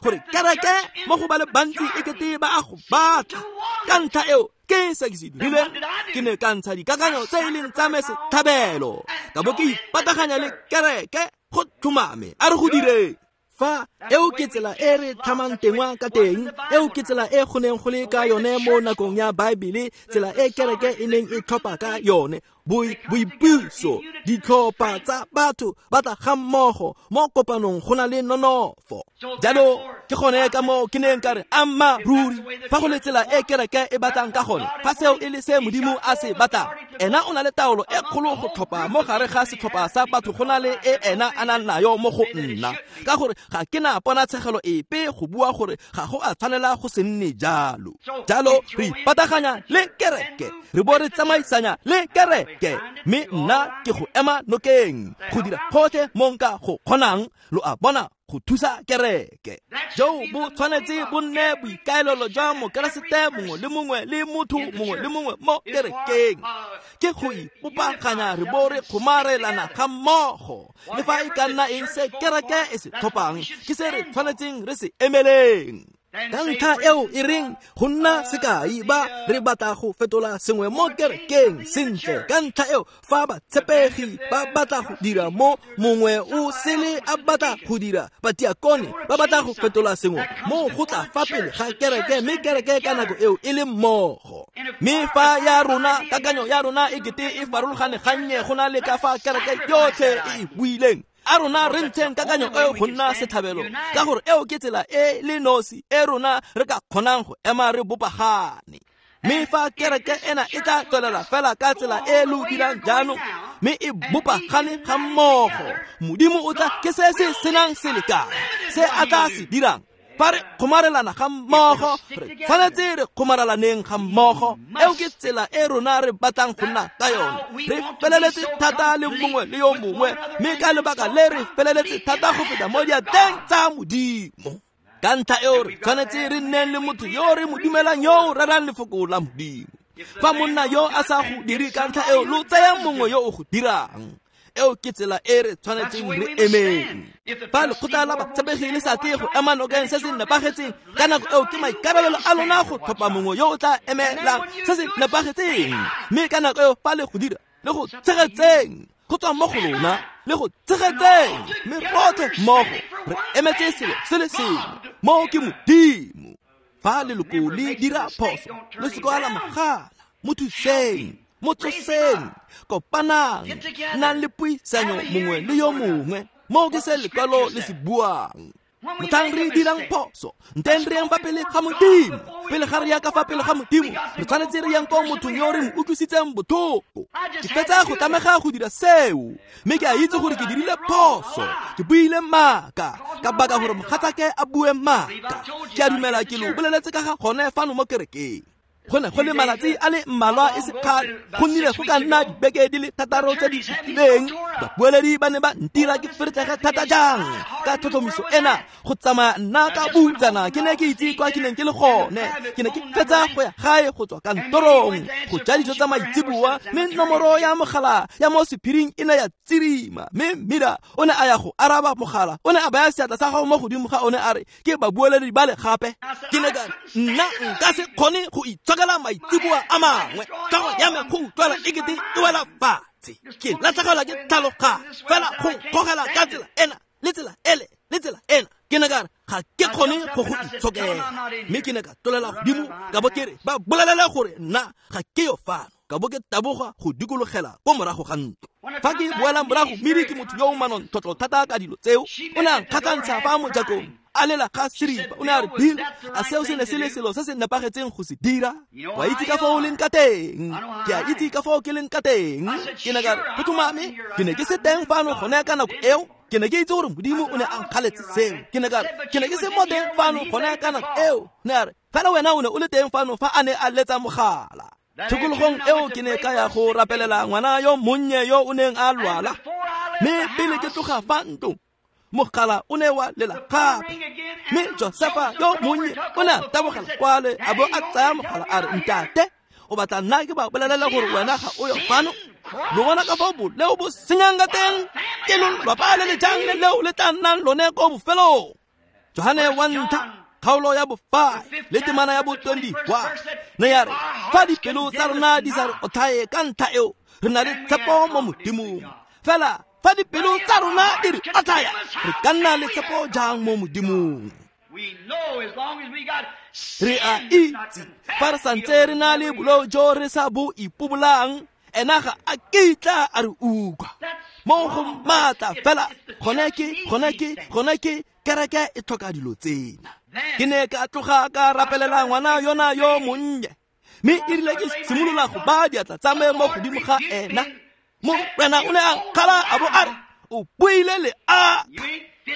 [SPEAKER 1] gore kereke mo go ba le bantsi e kete ba a go batla. Ka ntlha eo ke se ke se dirileng, ke ne ka ntsha dikakanyo tse e leng tsa me setlhabelo, ka bo ke ipataganya le kereke go tlhomame. A re go direng. Fa eo ke tsela e re tlhamang tengwa ka teng, eo ke tsela e go neng go le ka yone mo nakong ya Baebele, tsela e kereke e neng e tlhopha ka yone, boipuso, ditlhopha tsa batho ba tla ga mmogo mo kopanong go na le nonofo. Jalo ke gone ka moo ke neng ka re amma ruri, fa go le tsela e kereke e batlang ka gone, fa seo e le se Modimo a se batlang, Ena o na le taolo e kgolo go tlhopha mo gare ga setlhopha sa batho go na le e ena a nang nayo mo go nna, ka gore ga ke na ponatshegelo epe go bua gore ga go a tshwanela go se nne jalo. Jalo re ipataganya le kereke, re bo re tsamaisanya le kereke, mme nna ke go ema nokeng go dira gotlhe mo nka go kgonang, lo a bona, go thusa kereke. Jo bo tshwanetse bo nne boikaelelo jwa mokeresete mongwe le mongwe le motho mongwe le mongwe mo kerekeng, ke go ipopaganya re bo re kgomarelana ga mmogo. Le fa e ka nna eng se kereke e se tlhophang, ke se re tshwanetseng re se emeleng. Ka ntlha eo e reng go nna sekai ba re batla go fetola sengwe mo kerekeng sentle, ka ntlha eo fa batshepegi ba batla go dira mo mongwe o sele a batla go dira, batiakone ba batla go fetola sengwe mo go tla fa pele ga kereke, mme kereke ka nako eo e le mmogo. Mme fa ya rona kakanyo ya rona e kete e farologane gannye go na le ka fa kereke yotlhe e e buileng, a rona re ntsheng kakanyo eo go nna setlhabelo, ka gore eo ke tsela e le nosi e rona re ka kgonang go ema re bopagane. Mme fa kereke ena e tla tswelela fela ka tsela e lo dirang jaanong, mme e bopagane ga mmogo, Modimo o tla ke se se senang selekane se a tla se dirang. Fa re kgomarelana ga mmogo, re tshwanetse re kgomarelaneng ga mmogo. Eo ke tsela e rona re batlang go nna ka yone. Re feleletse thata le mongwe le yo mongwe, mme ka lebaka le re feleletse thata go feta mo diatleng tsa Modimo. Ka ntlha eo re tshwanetse re nneng le motho yo re mo dumelang yo o rerang lefoko la Modimo. Fa monna yo a sa go dire, ka ntlha eo lo tsaya mongwe yo o go dirang. Eo ke tsela e re tshwanetseng re emeng. Fa lekgotla la batshepegi le sa tle go ema nokeng se se nepagetseng, ka nako eo ke maikarabelo a lona go tlhopha mongwe yo o tla emelang se se nepagetseng. Mme ka nako eo fa le go dira, le go tshegetseng go tswa mo go lona, le go tshegetseng, mme rotlhe mmogo re emetse selo se le sengwe, moo ke Modimo. Fa leloko le dira phoso, le se ka la mogala, mo thuseng, mo tsoseng, kopanang, nnang le puisanyo mongwe le yo mongwe. Moo ke se lekwalo le se buang. Motlhang re dirang phoso, nteng re yang fa pele ga Modimo. Pele ga re ya ka fa pele ga Modimo, re tshwanetse re yang ko mothong yo re mo utlwisitseng botlhoko. Ke fetsa go tlamega go dira seo, mme ke a itse gore ke dirile phoso, ke buile maaka, ka baka gore mogatsake a bue maaka. Ke a dumela ke lo boleletse ka ga gone fano mo kerekeng. Go ne go le malatsi a le mmalwa e se kgale, go nnile go ka nna dibeke di le thataro tse di fetileng, babueledi ba ne ba ntira ke feretlege thata jang ka tlhotlhomiso ena go tsamaya nna ka butsana. Ke ne ke itse kwa ke neng ke le gone, ke ne ke fetsa go ya gae go tswa kantorong go ja dijo tsa maitseboa, mme nomoro ya mogala ya mo sephiring e ne ya tsirima, mme Mmida o ne a ya go araba mogala, o ne a baya seatla sa gago mo godimo ga one a re ke babueledi ba le gape. Ke ne ka nna nka se kgone go itshokela maitseboa a mangwe, tlhogo ya me go utlwala e kete e wela fatshe, ke latlhegelwa ke tlhaloganyo fela go nkgogela ka tsela ena le tsela ele le tsela ena. Ke ne ka re ga ke kgone go go itshokela, mme ke ne ka tlolela godimo ka bo ke re ba bolelele gore nna ga ke yo fano, ka bo ke taboga go dikologela ko morago ga ntlo. Fa ke boela morago, Mmidi ke motho yo o manontlhotlho thata ka dilo tseo, o ne a nkgatlhantsha fa mojakong a lela ga seripa. O ne a re, Bill, a seo se ne se le selo se se nepagetseng go se dira? Wa itse ka foo o leng ka teng, ke a itse ka foo ke leng ka teng. Ke ne ka re, go tlhomame ke ne ke se teng fano gone ka nako eo, ke ne ke itse gore Modimo o ne a nkgaletse seo. Ke ne ka re, ke ne ke se mo teng fano gone ka nako eo. Ne a re, fela wena o ne o le teng fano fa a ne a letsa mogala. Tshokologong eo ke ne ka ya go rapelela ngwana yo monnye yo o neng a lwala, mme pele ke tloga fa ntlong, mogala o ne wa lela gape, mme Josefa yo monnye o ne a tabogela kwale a bo a tsaya mogala a re, ntate, o batla nna ke ba bolelela gore wena ga o yo fano? Lo bona ka fao boleo bo senyang ka teng, ke lolwapa le le jang le leo le tla nnang lone ko bofelong. Johane wa ntlha kgaolo ya bofive le temana ya bo twenty-one ne ya re, fa dipelo tsa rona di sa re otlhaye ka ntlha eo, re na le tshepo mo Modimong. Fela fa dipelo tsa rona di re otlhaya, re ka nna le tshepo jang mo Modimong? Re a itse fa re santse re na le boleo jo re sa bo ipobolang, ena ga a kitla a re utlwa. Mo go maatla fela gone ke gone ke gone ke kereke e tlhoka dilo tsena. Ke ne ka tloga ka rapelela ngwana yona yo monnye, Mme e rile ke simolola go baya diatla tsa me mo godimo ga ena, Morena o ne a nkgala a bo a re, o buile le a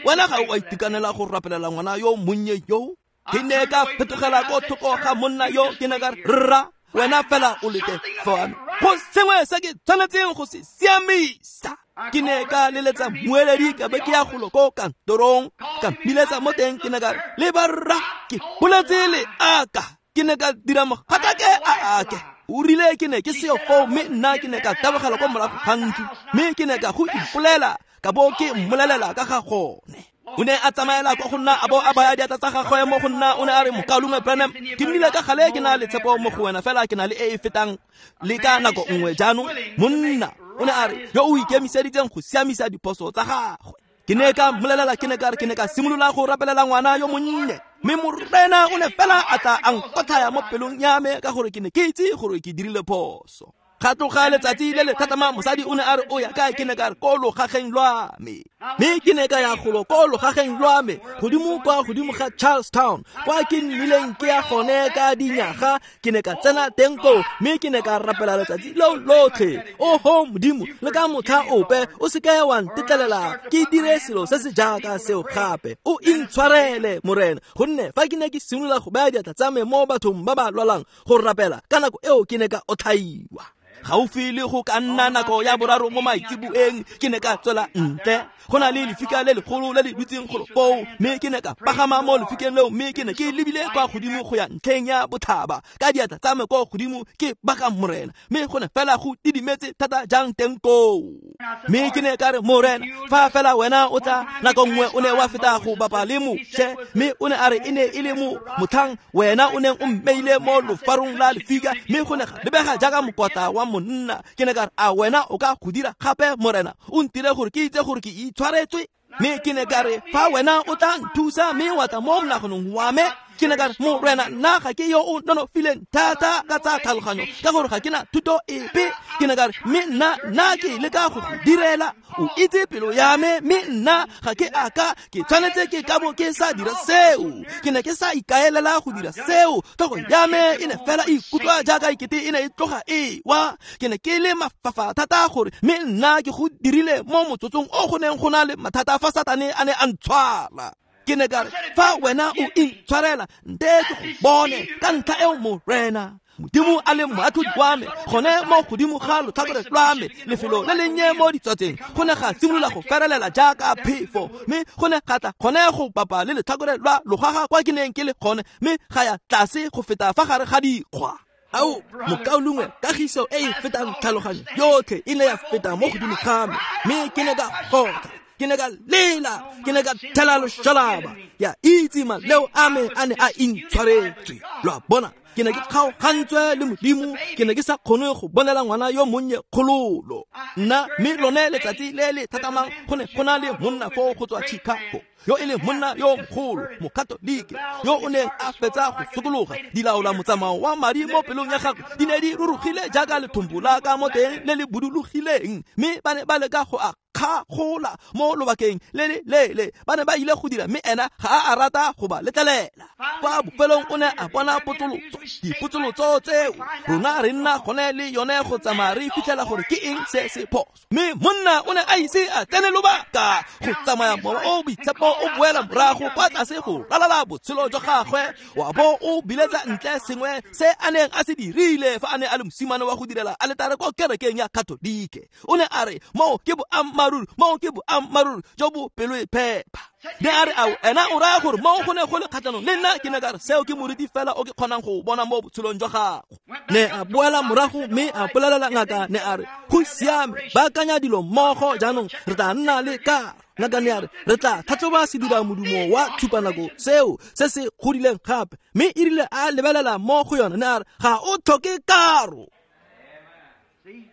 [SPEAKER 1] wena ga o a itekanela go rapelela ngwana yo monnye yo. Ke ne ka fetogela ko thoko ga monna yo, ke ne ka re, rra, wena fela o lete fano, go sengwe se ke tshwanetseng go se siamisa. Ke ne ka leletsa mmueledi ka be ke ya golo ko kantorong, ka mmiletsa mo teng, ke ne ka re, leba rra, ke boletse le aka. Ke ne ka dira mogatake a ake. O rile ke ne ke seo foo, mme nna ke ne ka tabogela kwa morago ga ntlo, mme ke ne ka go ipolela, ka bo ke mmolelela ka ga gone. O ne a tsamaela kwa go nna a bo a baya diatla tsa gagwe mo go nna, o ne a re, mokaulengwe Branham, ke nnile ka gale ke na le tshepo mo go wena, fela ke na le e e fetang le ka nako nngwe jaanong. Monna o ne a re, yo o ikemiseditseng go siamisa diphoso tsa gagwe. Ke ne ka mmolelela, ke ne ka re, ke ne ka simolola go rapelela ngwana yo monnye, mme Morena o ne fela a tla a nkotlhaya mo pelong ya me ka gore ke ne ke itse gore ke dirile phoso. Ga tloga letsatsi le le tlhatlhamang, mosadi o ne a re, o ya kae? Ke ne ka re, ko logageng lwa me. Mme ke ne ka ya golo ko logageng lwa me, godimo kwa godimo ga Charlestown, kwa ke nnileng ke ya gone ka dinyaga. Ke ne ka tsena teng koo, mme ke ne ka rapela letsatsi leo lotlhe. Oho Modimo, le ka motlha ope o seke wa ntetlelela ke dire selo se se jaaka seo gape. O intshwarele, Morena, gonne fa ke ne ke simolola go baya diatla tsa me mo bathong ba ba lwalang go rapela, ka nako eo ke ne ka otlhaiwa. Gaufi le go ka nna nako ya boraro mo maitseboeng, ke ne ka tswela ntle. Go na le lefika le legolo le le dutseng golo foo, mme ke ne ka pagama mo lefikeng leo, mme ke ne ke lebile kwa godimo go ya ntlheng ya bothaba ka diatla tsa me kwa godimo ke baka Morena, mme go ne fela go didimetse thata jang teng koo. Mme ke ne ka re, Morena, fa fela wena o tla, nako nngwe o ne wa feta go bapa le Moshe, mme o ne a re e ne e le mo motlhang wena o neng o mmeile mo lofarong la lefika, mme go ne ga lebega jaaka mokotla wa monna. Ke ne ka re, a wena o ka go dira gape, Morena? O ntire gore ke itse gore ke itshwaretswe. Mme ke ne ka re, fa wena o tla nthusa mme wa tla mo monaganong wa me, ke ne ka re, Morena, nna ga ke yo o nonofileng thata ka tsa tlhaloganyo, ka gore ga ke na thuto epe. Ke ne ka re, mme nna nna ke leka go go direla, o itse pelo ya me, mme nna ga ke aka ke tshwanetse ke ka bo ke sa dira seo. Ke ne ke sa ikaelela go dira seo, tlhogo ya me e ne fela e ikutlwa jaaka ekete e ne e tloga e wa. Ke ne ke le mafafa thata gore mme nna ke go dirile mo motsotsong o go neng go na le mathata fa Satane a ne a ntshwara. Ke ne ka re, fa wena o intshwarela, nte ke go bone ka ntlha eo, Morena Modimo a le moatlhodi wa me, gone mo godimo ga lotlhakore lwa me, lefelo le lennye mo ditswatseng, go ne ga simolola go ferelela jaaka phefo, mme go ne ga tla gone go bapa le letlhakore lwa logaga kwa ke neng ke le gone, mme ga ya tlase go feta fa gare ga dikgwa. Ao, mokaulengwe, kagiso e e fetang tlhaloganyo yotlhe e ne ya feta mo godimo ga me, mme ke ne ka gotha, ke ne ka lela, ke ne ka thela loshalaba, ya itse maleo a me a ne a intshwaretswe. Lo a bona, ke ne ke kgaogantswe le Modimo, ke ne ke sa kgone go bonela ngwana yo monnye kgololo. Nna mme lone letsatsi le le tlhatlhamang go ne go na le monna foo go tswa Chicago, yo e leng monna yo mogolo, mokatolike, yo o neng a fetsa go sokologa. Dilaola motsamao wa madi mo pelong ya gagwe di ne di rurugile jaaka lethombo la ka mo teng le le budulogileng, mme ba ne ba leka go a kgagola mo lobakeng le le leele. Ba ne ba ile go dira, mme ena ga a a rata go ba letlelela. Kwa bofelong o ne a bona potsolotso. Dipotsolotso tseo rona re nna gone le yone go tsamaya re fitlhela gore ke eng se se phoso. Mme monna o ne a ise a tsene lobaka go tsamaya mowa o boitshepo o boela morago kwa tlase go ralala botshelo jwa gagwe, wa bo o biletsa ntle sengwe se a neng a se dirile fa a ne a le mosimane wa go direla aletare kwa kerekeng ya Katolike. O ne a re, moo ke boammaaruri, moo ke boammaaruri jo bo pelo e phepa. Ne a re, ao, ena o raya gore moo go ne go le kgatlhanong le nna? Ke ne ka re, seo ke moriti fela o ke kgonang go bona mo botshelong jwa gago. Ne a boela morago mme a bolelela ngaka, ne a re, go siame, baakanya dilo mmogo jaanong, re tla nna le karo. Ngaka ne a re, re tla tlhatlhoba sedira modumo wa tshupanako seo se se godileng gape. Mme e rile a lebelela mo go yone, ne a re, ga o tlhoke karo.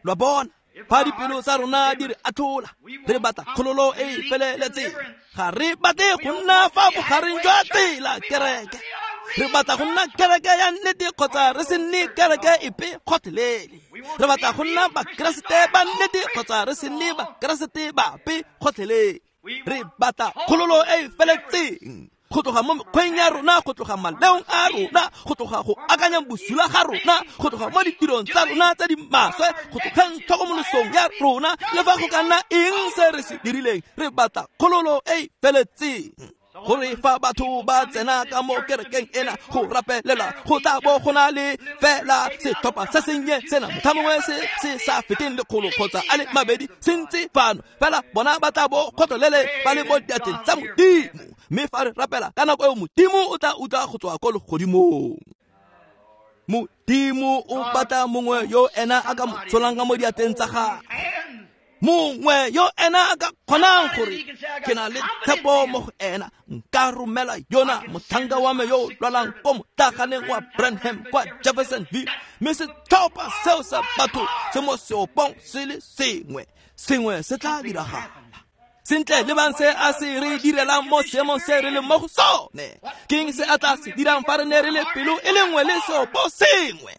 [SPEAKER 1] Lo a bona, fa dipelo tsa rona di re atlhola, re batla kgololo e e feleletseng. Ga re batle go nna fa bogareng jwa tsela kereke. Re batla go nna kereke ya nnete kgotsa re se nne kereke epe gotlhelele. Re batla go nna Bakeresete ba nnete kgotsa re se nne Bakeresete bape gotlhelele. Re batla kgololo e e feletseng. Go tloga mo mekgweng ya rona, go tloga maleong a rona, go tloga go akanyang bosula ga rona, go tloga mo ditirong tsa rona tse di maswe, go tlogeng tlhokomolosong ya rona, le fa go ka nna eng se re se dirileng, re batla kgololo e e feletseng. Gore fa batho ba tsena ka mo kerekeng ena go rapelela, go tla bo go na le fela setlhopha se sennye sena, motlha mongwe se se sa feteng lekgolo kgotsa a le mabedi se ntse fano, fela bona ba tla bo kgotlelele ba le mo diatleng tsa Modimo. Mme fa re rapela ka nako eo, Modimo o tla utlwa go tswa ko legodimong. Modimo o batla mongwe yo ena a ka mo tsholang ka mo diatleng tsa gagwe, mongwe yo ena a ka kgonang gore ke na le tshepo mo go ena, nka romela yona motlhanka wa me yo o lwalang ko motlaganeng wa Branham kwa Jeffersonville, mme setlhopha seo sa batho se mo seopong se le sengwe, sengwe se tla diragala. Sentle lebang se a se re direlang mo seemong se re leng mo go sone. Ke eng se a tla se dirang fa re ne re le pelo e le nngwe le seopo sengwe?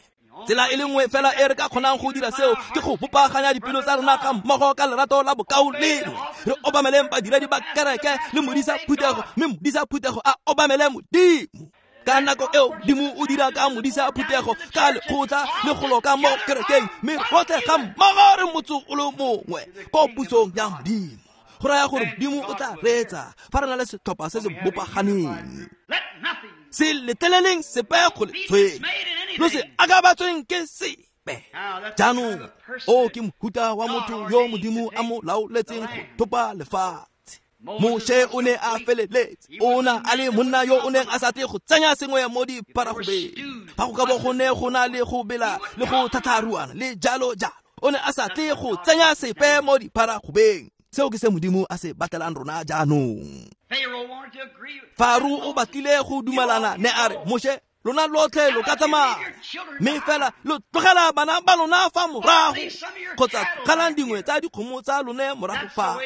[SPEAKER 1] Tsela e le nngwe fela e re ka kgonang go dira seo ke go bopaganya dipelo tsa rona ga mmogo ka lerato la bokaulengwe. Re obameleng badiredi ba kereke le modisa phuthego, mme modisa phuthego a obamele Modimo. Ka nako eo Modimo o dira ka modisa phuthego ka lekgotla le golo ka mo kerekeng, mme rotlhe ga mmogo re motso o le mongwe ko pusong ya Modimo. Go raya gore Modimo o tla reetsa fa re na le setlhopha se se bopaganeng. Se letleleleng sepe go le tshwenya, lo se akabatsweng ke sepe. Jaanong o ke mohuta wa motho yo Modimo a mo laoletseng go thopa lefatshe. Moshe o ne a feleletse, o na a le monna yo o neng a sa tle go tsenya sengwe mo diparagobeng. Fa go ka bo go ne go na le go bela le go thatharuana le jalo jalo, o ne a sa tle go tsenya sepe mo diparagobeng. Seo ke se Modimo a se batlelang rona jaanong. Faro o batlile go dumalana, ne a re, Moshe, lona lotlhe lo ka tsamaya, mme fela lo tlogela bana ba lona fa morago, kgotsa tlogelang dingwe tsa dikgomo tsa lone morago fa.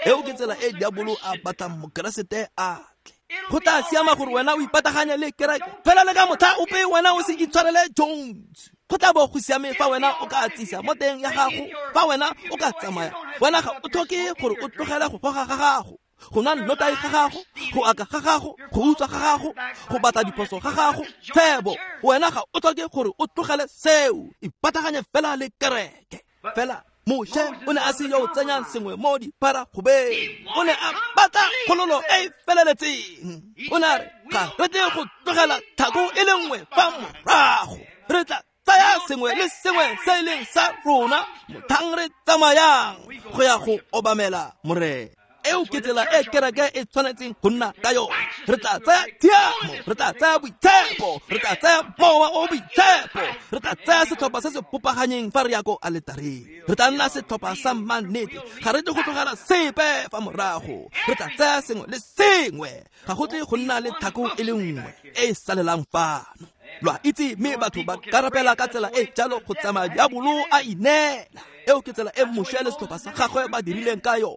[SPEAKER 1] Eo ke tsela e diabolo a batlang Mokeresete a tle. Go tla siama gore wena o ipataganye le kereke, fela le ka motlha ope wena o se itshwarele Jones. Go tla bo go siame fa wena o ka tsisa mo teng ya gago, fa wena o ka tsamaya, wena ga o tlhoke gore o tlogele go goga ga gago, go nwa nnotagi ga gago, go aka ga gago, go utswa ga gago, go batla diphoso ga gago, tshebo. Wena ga o tlhoke gore o tlogele seo, ipataganye fela le kereke. Fela Moshe o ne a se yo o tsenyang sengwe mo diparagobeng, o ne a batla kgololo e e feleletseng. O ne a re, ga re tle go tlogela thako e le nngwe fa morago, re tla tsaya sengwe le sengwe se e leng sa rona motlhang re tsamayang go ya go obamela Morena. Eo ke tsela e kereke e tshwanetseng go nna ka yone. Re tla tsaya tshiamo, re tla tsaya boitshepo, re tla tsaya mowa o boitshepo, re tla tsaya setlhopha se se bopaganyeng fa re ya ko aletareng. Re tla nna setlhopha sa mannete, ga re tle go tlogela sepe fa morago. Re tla tsaya sengwe le sengwe, ga go tle go nna le tlhako e le nngwe e e salelang fano. Lo a itse, mme batho ba ka rapela ka tsela e jalo go tsamaya diabolo a ineela. Eo ke tsela e Moshe le setlhopha sa gagwe ba dirileng ka yone.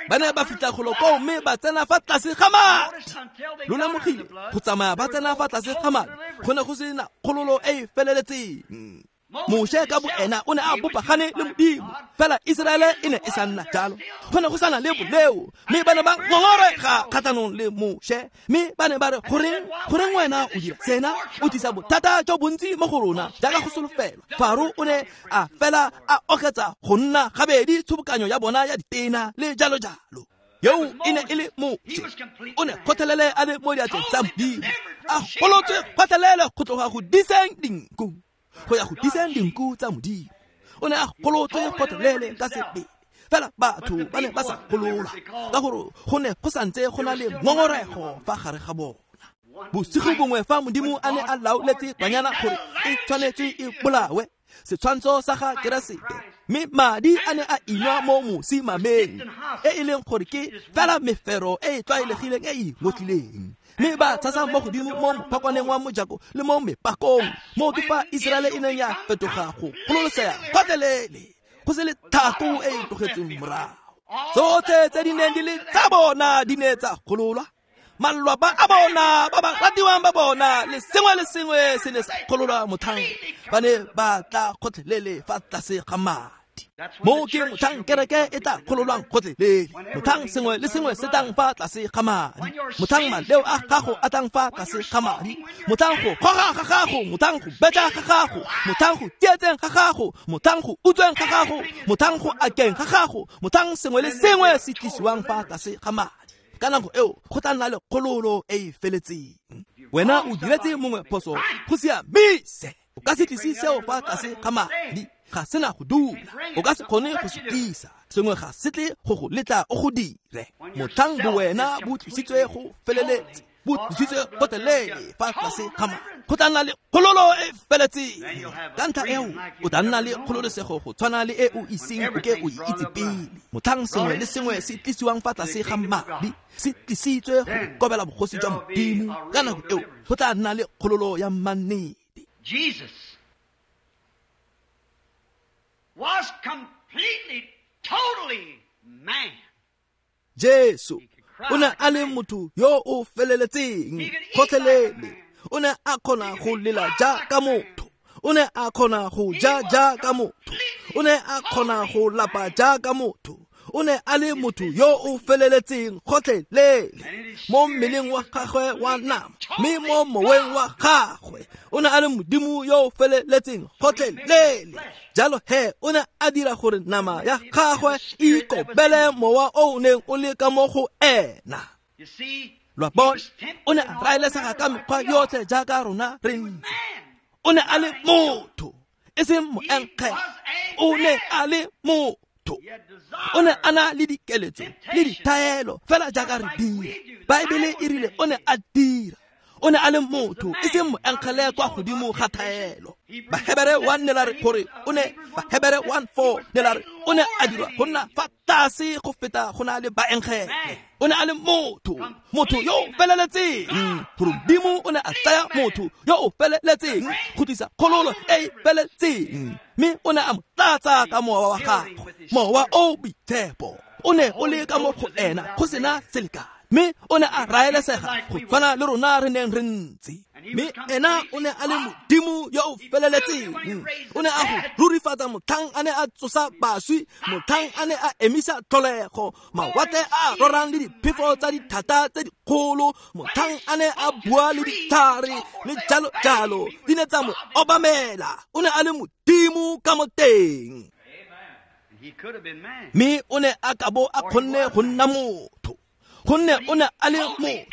[SPEAKER 1] Ba ne ba fitlha golo koo mme ba tsena fa tlase ga madi. Lo lemogile, go tsamaya ba tsena fa tlase ga madi go ne go sena kgololo e e feleletseng. Moshe ka boena o ne a bopagane le Modimo, fela Iseraele e ne e sa nna jalo. Go ne go sa na le boleo, mme ba ne ba ngongorega kgatlhanong le Moshe, mme ba ne ba re, goreng goreng wena o dira sena, o tlisa bothata jo bontsi mo go rona jaaka go solofelwa. Faro o ne a fela a oketsa go nna gabedi tshobokanyo ya bona ya ditena le jalo jalo. Yo e ne e le Moshe, o ne kgotlhelele a le mo diatleng tsa Modimo, a golotswe kgotlhelele go tloga go diseng dinku go ya go diseng dinku tsa Modimo. O ne a golotswe kgotlhelele ka sebele, fela batho ba ne ba sa golola ka gore go ne go santse go na le ngongorego fa gare ga bona. Bosigo bongwe fa Modimo a ne a laoletse banyana gore e tshwanetse e bolawe, setshwantsho sa ga Keresete, mme madi a ne a inwa mo mosimameng, e e leng gore ke fela mefero e e tlwaelegileng e e ngotlileng, mme ba tshasa mo godimo mo mophakwaneng wa mojako le mo mepakong. Mo ke fa Iseraele e neng ya fetoga go gololosega gotlhelele, go se le thako e e tlogetsweng morago. Tsotlhe tse di neng di le tsa bona di ne tsa gololwa, malwapa a bona ba ba ratiwang ba bona le sengwe le sengwe se ne sa gololwa motlhang ba ne ba tla kgotlhelele fa tlase ga madi. madi. Mo ke motlhang kereke e tla kgololwang gotlhelele, motlhang sengwe le sengwe se tlang fa tlase ga madi, motlhang maleo a gago a tlang fa tlase ga madi, motlhang go goga ga gago, motlhang go betla ga gago, motlhang go tsietseng ga gago, motlhang go utsweng ga gago, motlhang go akeng ga gago, motlhang sengwe le sengwe se tlisiwang fa tlase ga madi. Ka nako eo go tla nna le kgololo e e feletseng. Wena o diretse mongwe phoso, go siamise. O ka se tlise seo fa tlase ga madi, ga sena go dula. O ka se kgone go se tlisa, sengwe ga se tle go go letla o go dire. Motlhang bowena bo tlisitswe go feleletse, bo tlisitswe gotlhelele fa tlase ga madi, go tla nna le kgololo e feletseng. Ka ntlha eo o tla nna le kgololesego go tshwana le e o iseng o ke o e itse pele. Motlhang sengwe le sengwe se tlisiwang fa tlase ga madi se tlisitswe go ikobela bogosi jwa Modimo, ka nako eo go tla nna le kgololo ya mannete.
[SPEAKER 2] Jesus was completely, totally man.
[SPEAKER 1] Jesu o ne a le motho yo o feleletseng gotlhelele. O ne a kgona go lela jaaka motho, o ne a kgona go ja jaaka motho, o ne a kgona go lapa jaaka motho. O ne a le motho yo o feleletseng gotlhelele mo mmeleng wa gagwe wa nama, mme mo moweng wa gagwe o ne a le Modimo yo o feleletseng gotlhelele. Jalo he o ne a dira gore nama ya gagwe e ikobele mowa o o neng o le ka mo go ena. Lo a bona, o ne a raelesega ka mekgwa yotlhe jaaka rona re ntse. O ne a le motho, e seng moenkge. O ne a le motho. O ne a na le dikeletso le dithaelo fela jaaka re dira. Baebele e rile o ne a dira. O ne a le motho, e seng moenkgele kwa godimo ga thaelo. Bahebere one ne la re gore o ne, Bahebere one four ne la re o ne a dirwa go nna fa tlase go feta go na le baenkgele. O ne a le motho, motho yo o feleletseng. Gore Modimo o ne a tsaya motho yo o feleletseng go tlisa kgololo e e feletseng, mme o ne a mo tlatsa ka mowa wa gagwe, mowa o boitshepo. O ne o le ka mo go ena go sena selekane, mme o ne a raelesega go tshwana le rona re neng re ntse. Mme ena o ne a le Modimo yo o feleletseng. O ne a go rurifatsa motlhang a ne a tsosa baswi, motlhang a ne a emisa tlholego, mawatle a rorang le diphefo tsa dithata tse dikgolo, motlhang a ne a bua le ditlhare le jalo jalo, di ne tsa mo obamela. O ne a le Modimo ka mo teng. Mme o ne a ka bo a kgonne go nna motho, gonne o ne a le motho.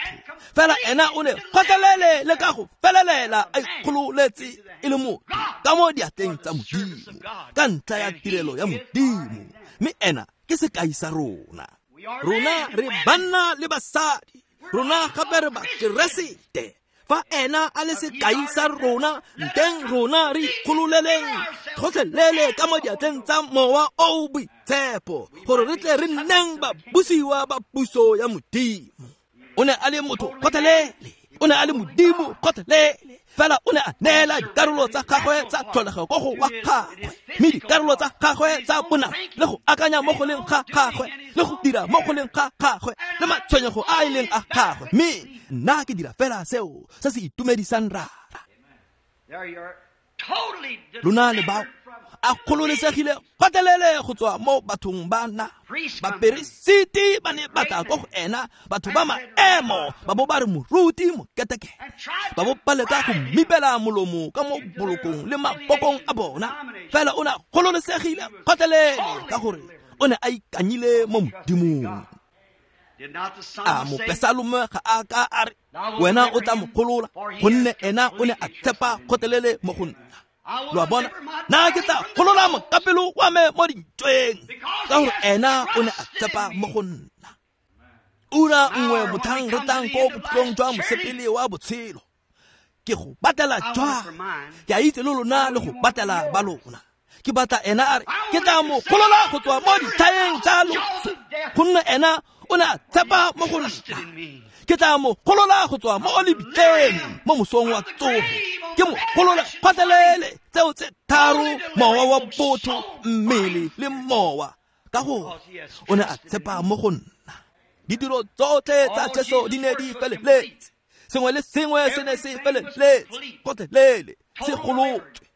[SPEAKER 1] Fela ena o ne gotlhelele le ka go felelela a ikgololetse e le motho ka mo diatleng tsa Modimo, ka ntlha ya tirelo ya Modimo. Mme ena ke sekai sa rona. Rona re banna le basadi, rona gape re Bakeresete. Fa ena a le sekai sa rona, nteng rona re ikgololeleng gotlhelele ka mo diatleng tsa mowa o boitshepo, gore re tle re nneng babusiwa ba puso ya Modimo. O ne a le motho gotlhelele, o ne a le Modimo gotlhelele. Fela o ne a neela dikarolo tsa gagwe tsa tlholego ko go wa gagwe, mme dikarolo tsa gagwe tsa bonama le go akanya mo go leng ga gagwe le go dira mo go leng ga gagwe le matshwenyego a e leng a gagwe. Mme nna ke dira fela seo se se itumedisang Rara. Lona le bao a kgololesegile gotlhelele go tswa mo bathong ba na. Baperesiti ba ne ba tla ko go ena, batho ba maemo, ba bo ba re moruti moketeke, ba bo ba leka go mmipela molomo ka mo bolokong le mabokong a bona. Fela o ne a kgololesegile gotlhelele ka gore o ne a ikanyile mo Modimong. A mopesalome ga a ka a re wena o tla mo golola, gonne ena o ne a tshepa gotlhelele mo go nna. Lo a bona, nna ke tla golola mokapelo wa me mo dintweng, ka gore ena o ne a tshepa mo go nna. Ura nngwe motlhang re tlang ko bokhutlong jwa mosepele wa botshelo, ke go batlela jwang? Ke a itse le lona le go batlela ba lona. Ke batla ena a re ke tla mo golola go tswa mo dithaeng tsa loso, gonne ena o ne a tshepa mo go nna. Ke tla mo golola go tswa mo lebitleng mo mosong wa tsogo, ke mo golola gotlhelele tseo tse tharo, mowa wa botho, mmele le mowa, ka gore o ne a tshepa mo go nna. Ditiro tsotlhe tsa Jesu di ne di feleletse, sengwe le sengwe se ne se feleletse gotlhelele, se golotswe.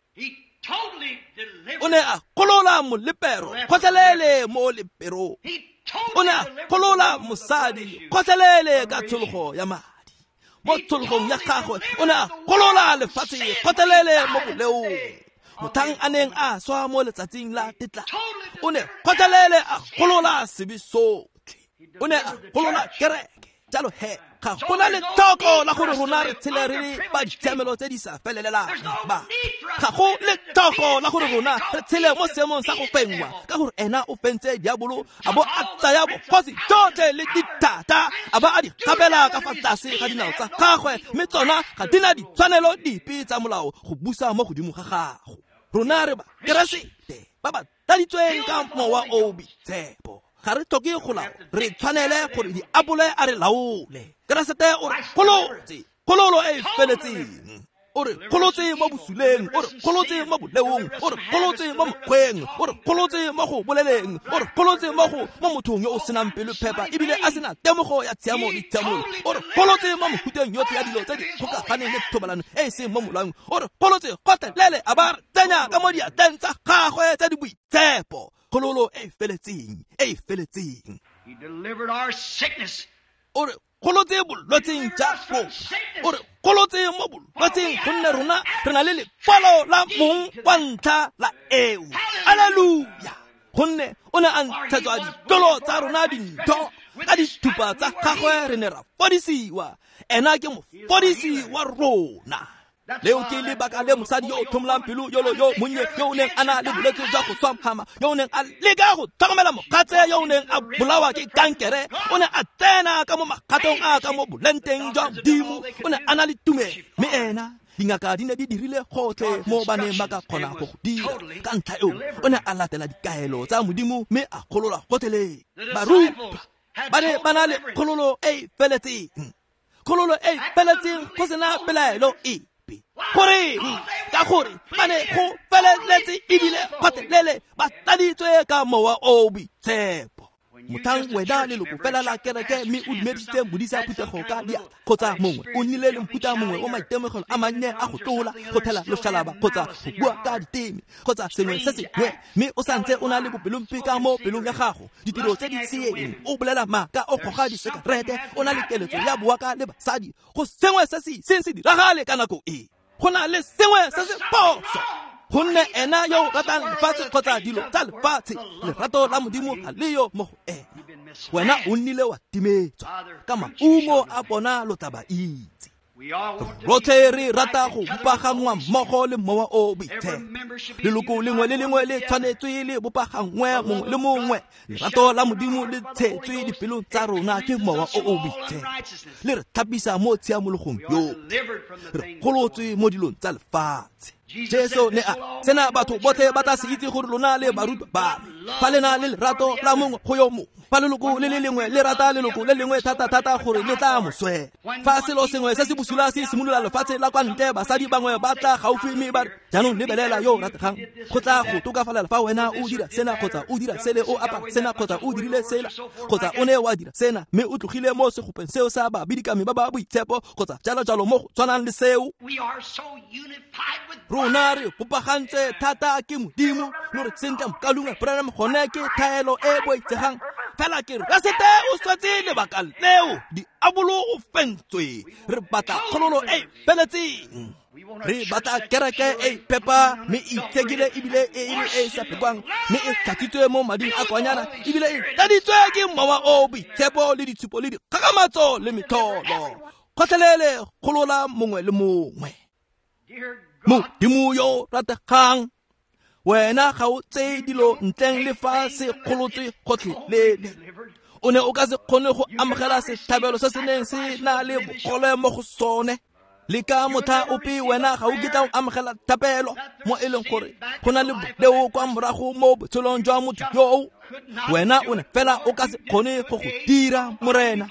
[SPEAKER 1] O ne a golola molepero gotlhelele mo leperong. O ne a golola mosadi gotlhelele ka tshologo ya madi mo tshologong ya gagwe. O ne a golola lefatshe gotlhelele mo boleong. Mothang a neng a swa mo letsatsing la tetla, o ne gotlhelele a golola sebe sotlhe. O ne a golola kereke. Jalo he, ga gona letlhoko la gore rona re tshele re le ba ditshiamelo tse di sa felelelang ba. Ga go letlhoko la gore rona re tshele mo seemong sa go fenngwa, ka gore ena o fentse diabolo a bo a tsaya bogosi jotlhe le dithata a ba a di gapela ka fa tlase ga dinao tsa gagwe, mme tsona ga di na ditshwanelo dipe tsa molao go busa mo godimo ga gago. Rona re ba Keresete ba ba tladitsweng ka mowa o boitshepo. Ga re tlhoke go laola, re tshwanele gore diabole a re laole. Keresete o re golotse, kgololo e e feletseng. O re golotse mo bosuleng, o re golotse mo boleong, o re golotse mo mokgweng, o re golotse mo go boleleng, o re golotse mo go mo mothong yo o senang pelo phepa ebile a sena temogo ya tshiamo le tshiamolo. O re golotse mo mofuteng yotlhe ya dilo tse di kgokaganeng le thobalano e e seng mo molaong. O re golotse gotlhelele a ba re tsenya ka mo diatleng tsa gagwe tse di boitshepo. Kgololo e feletseng, e feletseng.
[SPEAKER 2] He delivered our sickness.
[SPEAKER 1] O re golotse bolwetseng ja rona. O re golotse mo bolwetseng gonne rona re na le lekwalo la mong wa ntlha la eo. Alleluia. Gonne o ne a ntshetswa ditlolo tsa rona dintho, ka dithupa tsa gagwe re ne ra fodisiwa. Ena ke mofodisi wa rona. Leo ke lebaka le mosadi yo o tlhomolang pelo yolo yo monnye yo o neng a na le bolwetse jwa go swa mhama, yo o neng a leka go tlhokomela mogatse yo o neng a bolawa ke kankere, o ne a tsena ka mo magatong a ka mo bolenteng jwa Modimo. O ne a na le tumelo, mme ena dingaka di ne di dirile gotlhe mo ba neng ba ka kgona go go dira. Ka ntlha eo o ne a latela dikaelo tsa Modimo mme a gololwa gotlhelele. Barutwa ba ne ba na le kgololo e e feletseng, kgololo e e feletseng go sena pelaelo epe. Goreng? Ka gore ba ne go feleletse ebile gotlhelele ba tladitswe ka mowa o boitshepo. Mothang wena leloko fela la kereke mme o dumedisitse modisa phuthego ka diatla, kgotsa mongwe o nnile le mofuta mongwe o maitemogelo a mannye a go tlola, go thela loshalaba kgotsa go bua ka diteme kgotsa sengwe se sengwe, mme o santse o na le bopelompe ka mo pelong ya gago, ditiro tse di seeng, o bolela maaka, o goga disekerete, o na le keletso ya boaka le basadi, go sengwe se se iseng se diragale ka nako e. Go na le sengwe se se phoso. Gonne ena yo o ratang lefatshe kgotsa dilo tsa lefatshe, lerato la Modimo ga leyo mo go ena. Wena o nnile wa timetswa, ka maungo a bona lo tla ba itse. Rotlhe re rata go bopagangwa mmogo le mowa o boitshepo. Leloko lengwe le lengwe le tshwanetswe le bopagangwe mongwe le mongwe. Lerato la Modimo le tshetswe dipelong tsa rona ke mowa o o boitshepo. Le re tlhapisa mo tshiamologong yotlhe. Re golotswe mo dilong tsa lefatshe. Jesu ne a sena batho botlhe ba tla se itse gore lona le barutwa ba me. Fa le na le lerato la mongwe go yo mongwe, fa leloko le le lengwe le rata leloko le lengwe thata-thata gore le tla mo swela. Fa selo sengwe se se bosula se simolola lefatshe la kwa ntle, basadi bangwe ba tla gaufi mme ba re, jaanong lebelela yo o rategang, go tla go tokafalela fa wena o dira sena kgotsa o dira sele, o apara sena kgotsa o dirile sela kgotsa o ne wa dira sena mme o tlogile mo segopeng seo sa babidikami ba ba boitshepo kgotsa jalo-jalo mo go tshwanang le seo.
[SPEAKER 2] We are so unified with
[SPEAKER 1] Rona re bopagantse thata ke Modimo, lo re sentle mokalungwe Branham gone ke thaelo e boitsegang. Fela ke Keresete o swetse lebaka leo, diabolo o fentswe. Re batla kgololo e feletseng. Re batla kereke e phepa mme e itshekile ebile e le e sa phekwang, mme e tlhatswitswe mo mading a kwanyana ebile e tladitswe ke mowa o boitshepo le ditshupo le dikgakgamatso le metlholo. Gotlhelele golola mongwe le mongwe. Modimo yo rategang, wena ga o tseye dilo ntleng le fa se kgolotswe gotlhelele. O ne o ka se kgone go amogela setlhabelo se se neng se na le bogole mo go sone. Le ka motlha ope wena ga o kitla o amogela thapelo mo e leng gore go na le boleo kwa morago mo botshelong jwa motho yoo. Wena o ne fela o ka se kgone go go dira, Morena.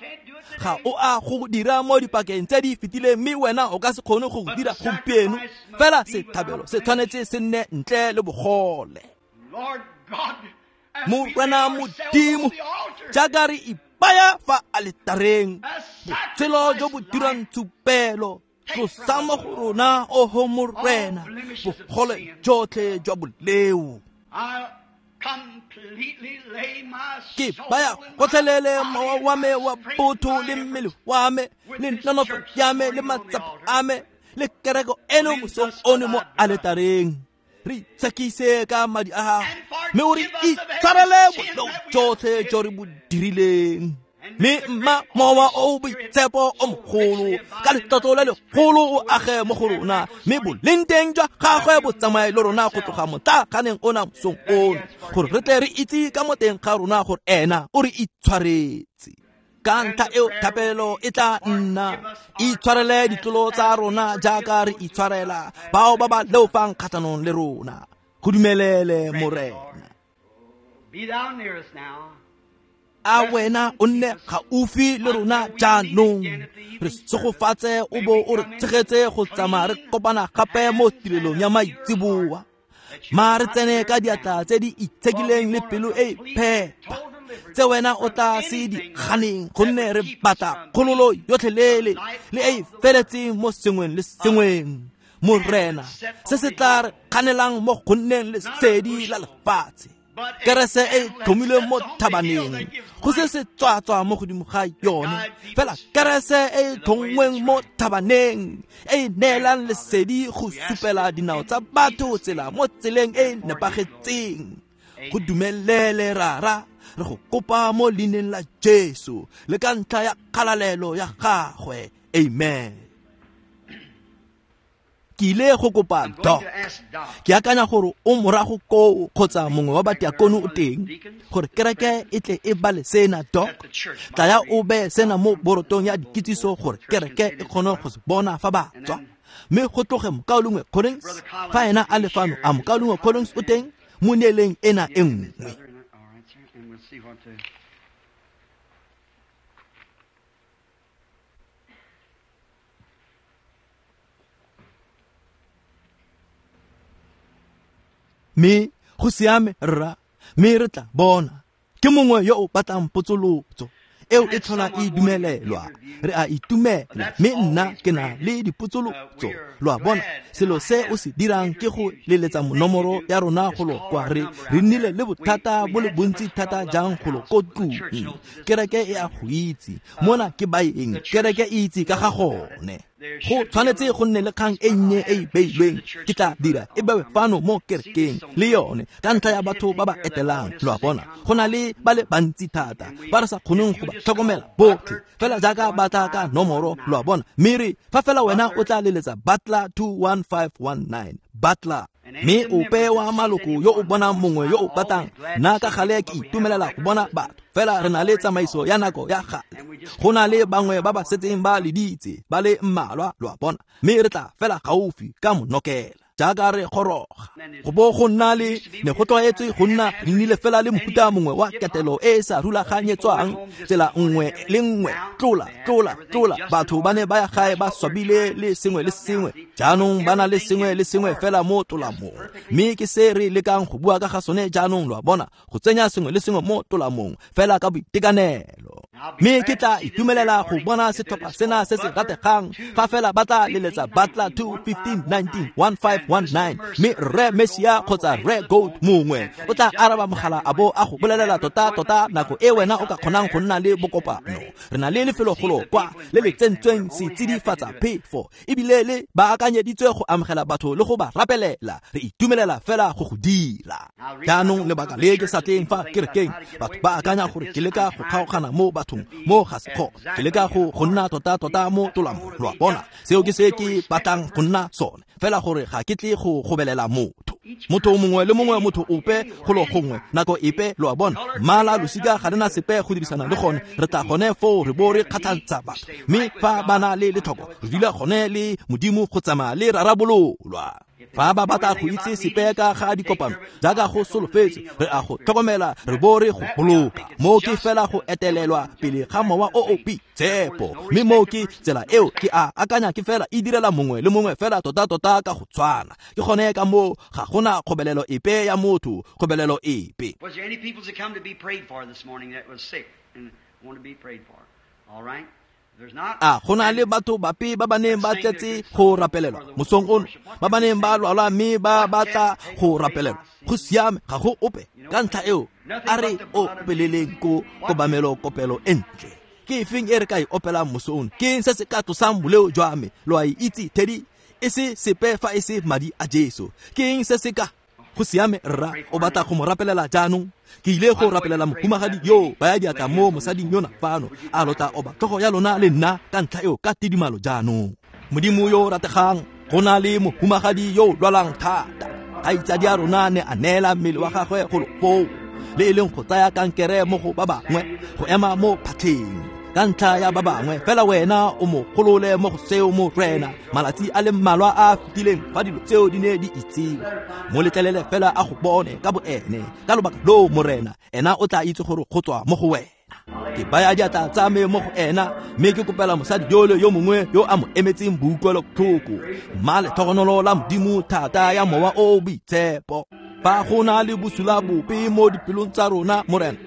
[SPEAKER 1] Ga o a go dira mo dipakeng tse di fetileng, mme wena o ka se kgone go go dira gompieno. Fela setlhabelo se tshwanetse se nne ntle le bogole. Morena Modimo, jaaka re ipaya fa aletareng, botshelo jo bo dirang tshupelo, Tlosa mo go rona, oho Morena, bogole jotlhe jwa boleo. Ke baya gotlhelele mowa wa me wa botho le mmele wa me le nonofo ya me le matsapa a me le kereko eno mosong ono mo aletareng. Re itshekise ka madi a gago, mme o re itshwarele boleo jotlhe jo re bo dirileng. Mme mma mowa o boitshepo o mogolo ka letlotlo le legolo o age mo go rona, mme boleng teng jwa gagwe bo tsamaye le rona go tloga motlaganeng ona mosong ono, gore re tle re itse ka mo teng ga rona gore ena o re itshwaretse. Ka ntlha eo thapelo e tla nna, itshwarele ditlolo tsa rona jaaka re itshwarela bao ba ba leofang kgatlhanong le rona. Go dumelele Morena. A wena o nne gaufi le rona jaanong, re segofatse o bo o re tshegetse go tsamaya re kopana gape mo tirelong ya maitseboa. Ma re tsene ka diatla tse di itshekileng le pelo e e phepa tse wena o tla se di ganeng, gonne re batla kgololo yotlhelele le e e feletseng mo sengweng le sengweng. Morena, se se tla re kganelang mo go nneng lesedi la lefatshe, kerese e tlhomilweng mo thabaneng, go se se tswatswa mo godimo ga yone, fela kerese e tlhongweng mo thabaneng e e neelang lesedi go supela dinao tsa batho tsela mo tseleng e e nepagetseng. Go dumelele Rara, re go kopa mo leineng la Jesu le ka ntlha ya kgalalelo ya gagwe. Amen. Ke ile go kopa Doc. Ke akanya gore o morago koo kgotsa mongwe wa batiakono o teng, gore kereke e tle e bale sena. Doc, tlaya o beye sena mo borotong ya dikitsiso gore kereke e kgone go se bona fa ba tswa. Mme go tloge mokaulengwe Collins, fa ena a le fano, a mokaulengwe Collins o teng mo neeleng ena e nngwe. Mme go siame rra, mme re tla bona. Ke mongwe yo o batlang potsolotso eo e tlhola e dumelelwa. Re a itumela, mme nna ke na le dipotsolotso. Lo a bona, selo se o se dirang ke go leletsa nomoro ya rona go lo kwa. Re re nnile le bothata bo le bontsi thata jang go lo ko tlung. Kereke e a go itse, mona ke baeng, kereke e itse ka ga gone. Go tshwanetse go nne le kgang e nnye e e beilweng, ke tla dira e bewe fano mo kerekeng le yone ka ntlha ya batho ba ba etelang. Lo a bona, go na le ba le bantsi thata ba re sa kgoneng go ba tlhokomela botlhe, fela jaaka ba tla ka nomoro. Lo a bona, mme re fa fela wena o tla leletsa Butler two one five one nine, Butler. Mme ope wa maloko yo o bonang mongwe yo o batlang, nna ka gale ke itumelela go bona batho, fela re na le tsamaiso ya nako ya gale. Go na le bangwe ba ba setseng ba leditse ba le mmalwa, lo a bona, mme re tla fela gaufi ka monokela jaaka re goroga. Go bo go nna le ne go tlwaetswe go nna re nnile fela le mofuta mongwe wa ketelo e e sa rulaganyetswang, tsela nngwe le nngwe, tlola tlola tlola. Batho ba ne ba ya gae ba swabile le sengwe le sengwe, jaanong ba na le sengwe le sengwe fela mo tolamong. Mme ke se re lekang go bua ka ga sone jaanong, lo a bona, go tsenya sengwe le sengwe mo tolamong fela ka boitekanelo. Mme ke tla itumelela go bona setlhopha sena se se rategang fa fela ba tla leletsa Butler two fifteen nineteen one five one nine, mme Rre Messia kgotsa Rre Gold mongwe o tla araba mogala a bo a go bolelela tota tota nako e wena o ka kgonang go nna le bokopano. Re na le lefelogolo kwa le le tsentsweng setsidifatsa phefo, ebile le baakanyeditswe go amogela batho le go ba rapelela. Re itumelela fela go go dira. Jaanong lebaka le ke sa tleng fa kerekeng, batho ba akanya gore ke leka go kgaogana mo bathong, mo ga se gone. Ke leka go go nna tota tota mo tolamong. Lo a bona, seo ke se ke batlang go nna sone, fela gore ga ke tle go gobelela motho. Motho mongwe le mongwe, motho ope go lo gongwe nako epe, lo a bona, mmala losika ga rena sepe go dirisana le gone. Re tla gone foo re bo re kgatlhantsha batho, mme fa ba na le letlhoko re dula gone le Modimo go tsamaya le rarabololwa. Fa ba batla go itse sepe ka ga dikopano jaaka go solofetse, re a go tlhokomela re bo re go boloka. Mo ke fela go etelelwa pele ga mowa o o boitshepo, mme mo ke tsela eo ke a akanya ke fela e direla mongwe le mongwe fela tota tota ka go tshwana. Ke gone ka moo ga gona kgobelelo epe ya motho, kgobelelo epe.
[SPEAKER 2] Was there any people that come to be prayed for this morning that was sick and want to be prayed for? All right.
[SPEAKER 1] A go na le batho bape ba ba neng ba tletse go rapelelwa mosong ono, ba ba neng ba lwala mme ba batla go rapelelwa? Go siame, ga go ope. Ka ntlha eo a re opeleleng ko kobamelo kopelo e ntle. Ke efeng e re ka e opelang mosong? Ke eng se se ka tlosang boleo jwa me? Lo a e itse, Teddy, e se sepe fa e se madi a Jesu. Ke eng se se ka? Go siame, rra, o batla go mo rapelela jaanong? Ke ile go rapelela mohumagadi yo baya diatla mo mosading yona fano. A lo tla oba tlhogo ya lona le nna ka ntlha eo ka tidimalo jaanong. Modimo yo o rategang, go na le mohumagadi yo o lwalang thata. Kgaitsadi a rona ne a neela mmele wa gagwe go lo foo, le e leng go tsaya kankere mo go ba bangwe, go ema mo phatlheng ka ntlha ya ba bangwe. Fela wena o mo golole mo go seo, Morena. Malatsi a le mmalwa a fetileng fa dilo tseo di ne di itsiwe, mo letlelele fela a go bone ka boene. Ka lobaka loo, Morena, ena o tla itse gore go tswa mo go wena. Ke baya diatla tsa me mo go ena, mme ke kopela mosadi yole yo mongwe yo a mo emetseng boutlwelobotlhoko. Mma letlhogonolo la Modimo thata ya Mowa o o Boitshepo. Fa go na le bosula bope mo dipelong tsa rona, Morena,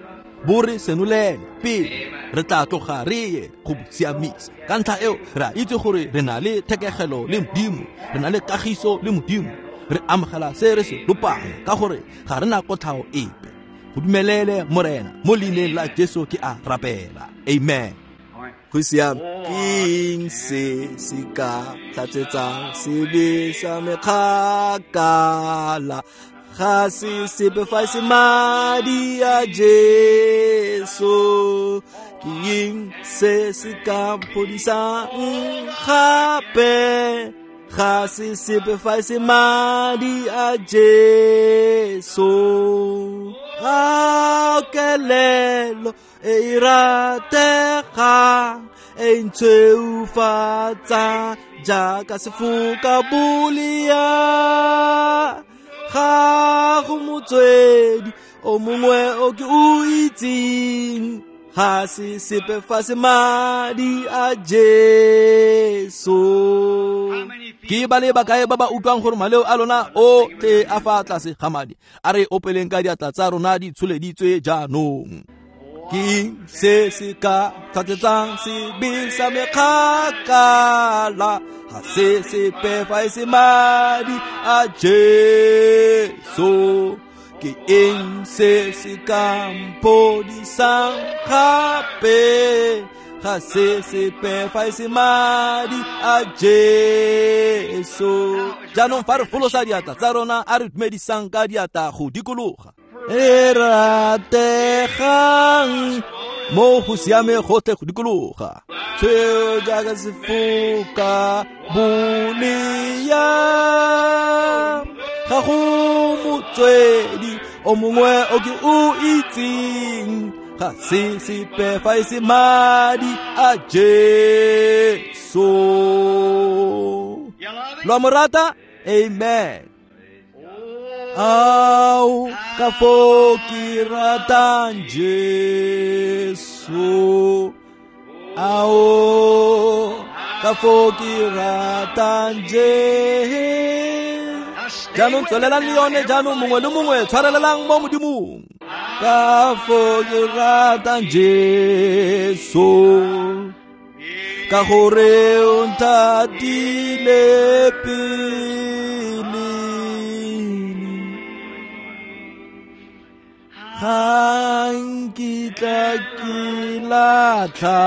[SPEAKER 1] bo re senolele pele re tla tloga re ye go bo siamisa. Ka ntlha eo re a itse gore re na le thekegelo le Modimo, re na le kagiso le Modimo, re amogela se re se lopang, ka gore ga re na kotlhao epe. Go dumelele, Morena, mo leineng la Jesu ke a rapela. Amen. Go siame. Ke eng se se ka tlatsetsang sebe sa me kgakala? Ga se sepe fa e se madi a Jesu. Ke eng se se ka mphodisang gape? Ga se sepe fa e se madi a Jesu. A kelelo e e rategang, e ntshweufatsang jaaka sefoka bolea. Ga go motswedi o mongwe o ke o itseng, ga se sepe fa se madi a Jesu. Ke ba le bakae ba ba utlwang gore maleo a lona o tle a fa tlase ga madi? A re opeleng ka diatla tsa rona di tsholeditswe jaanong. Ke eng se se ka tlhatsetsang sebe sa me kgakala? Ga se sepe fa e se madi a Jesu. Ke eng se se ka mphodisang gape? Ga se sepe fa e se madi a Jesu. Jaanong fa re folosa diatla tsa rona, a re dumedisang ka diatla go dikologa. E rategang mo go siame gotlhe go dikologa. Tshweu jaaka sefoka bolea, ga go motswedi o mongwe o ke o itseng, ga se sepe fa e se madi a Jesu. Lo a mo rata? Amen. Ao, ka foo ke ratang Jesu. Ao, ka foo ke ratang Jesu. Jaanong tswelelang le yone jaanong, mongwe le mongwe tshwarelelang mo Modimong. Ka foo ke ratang Jesu, ka gore o nthatile pele. Ga nkitla ke latlha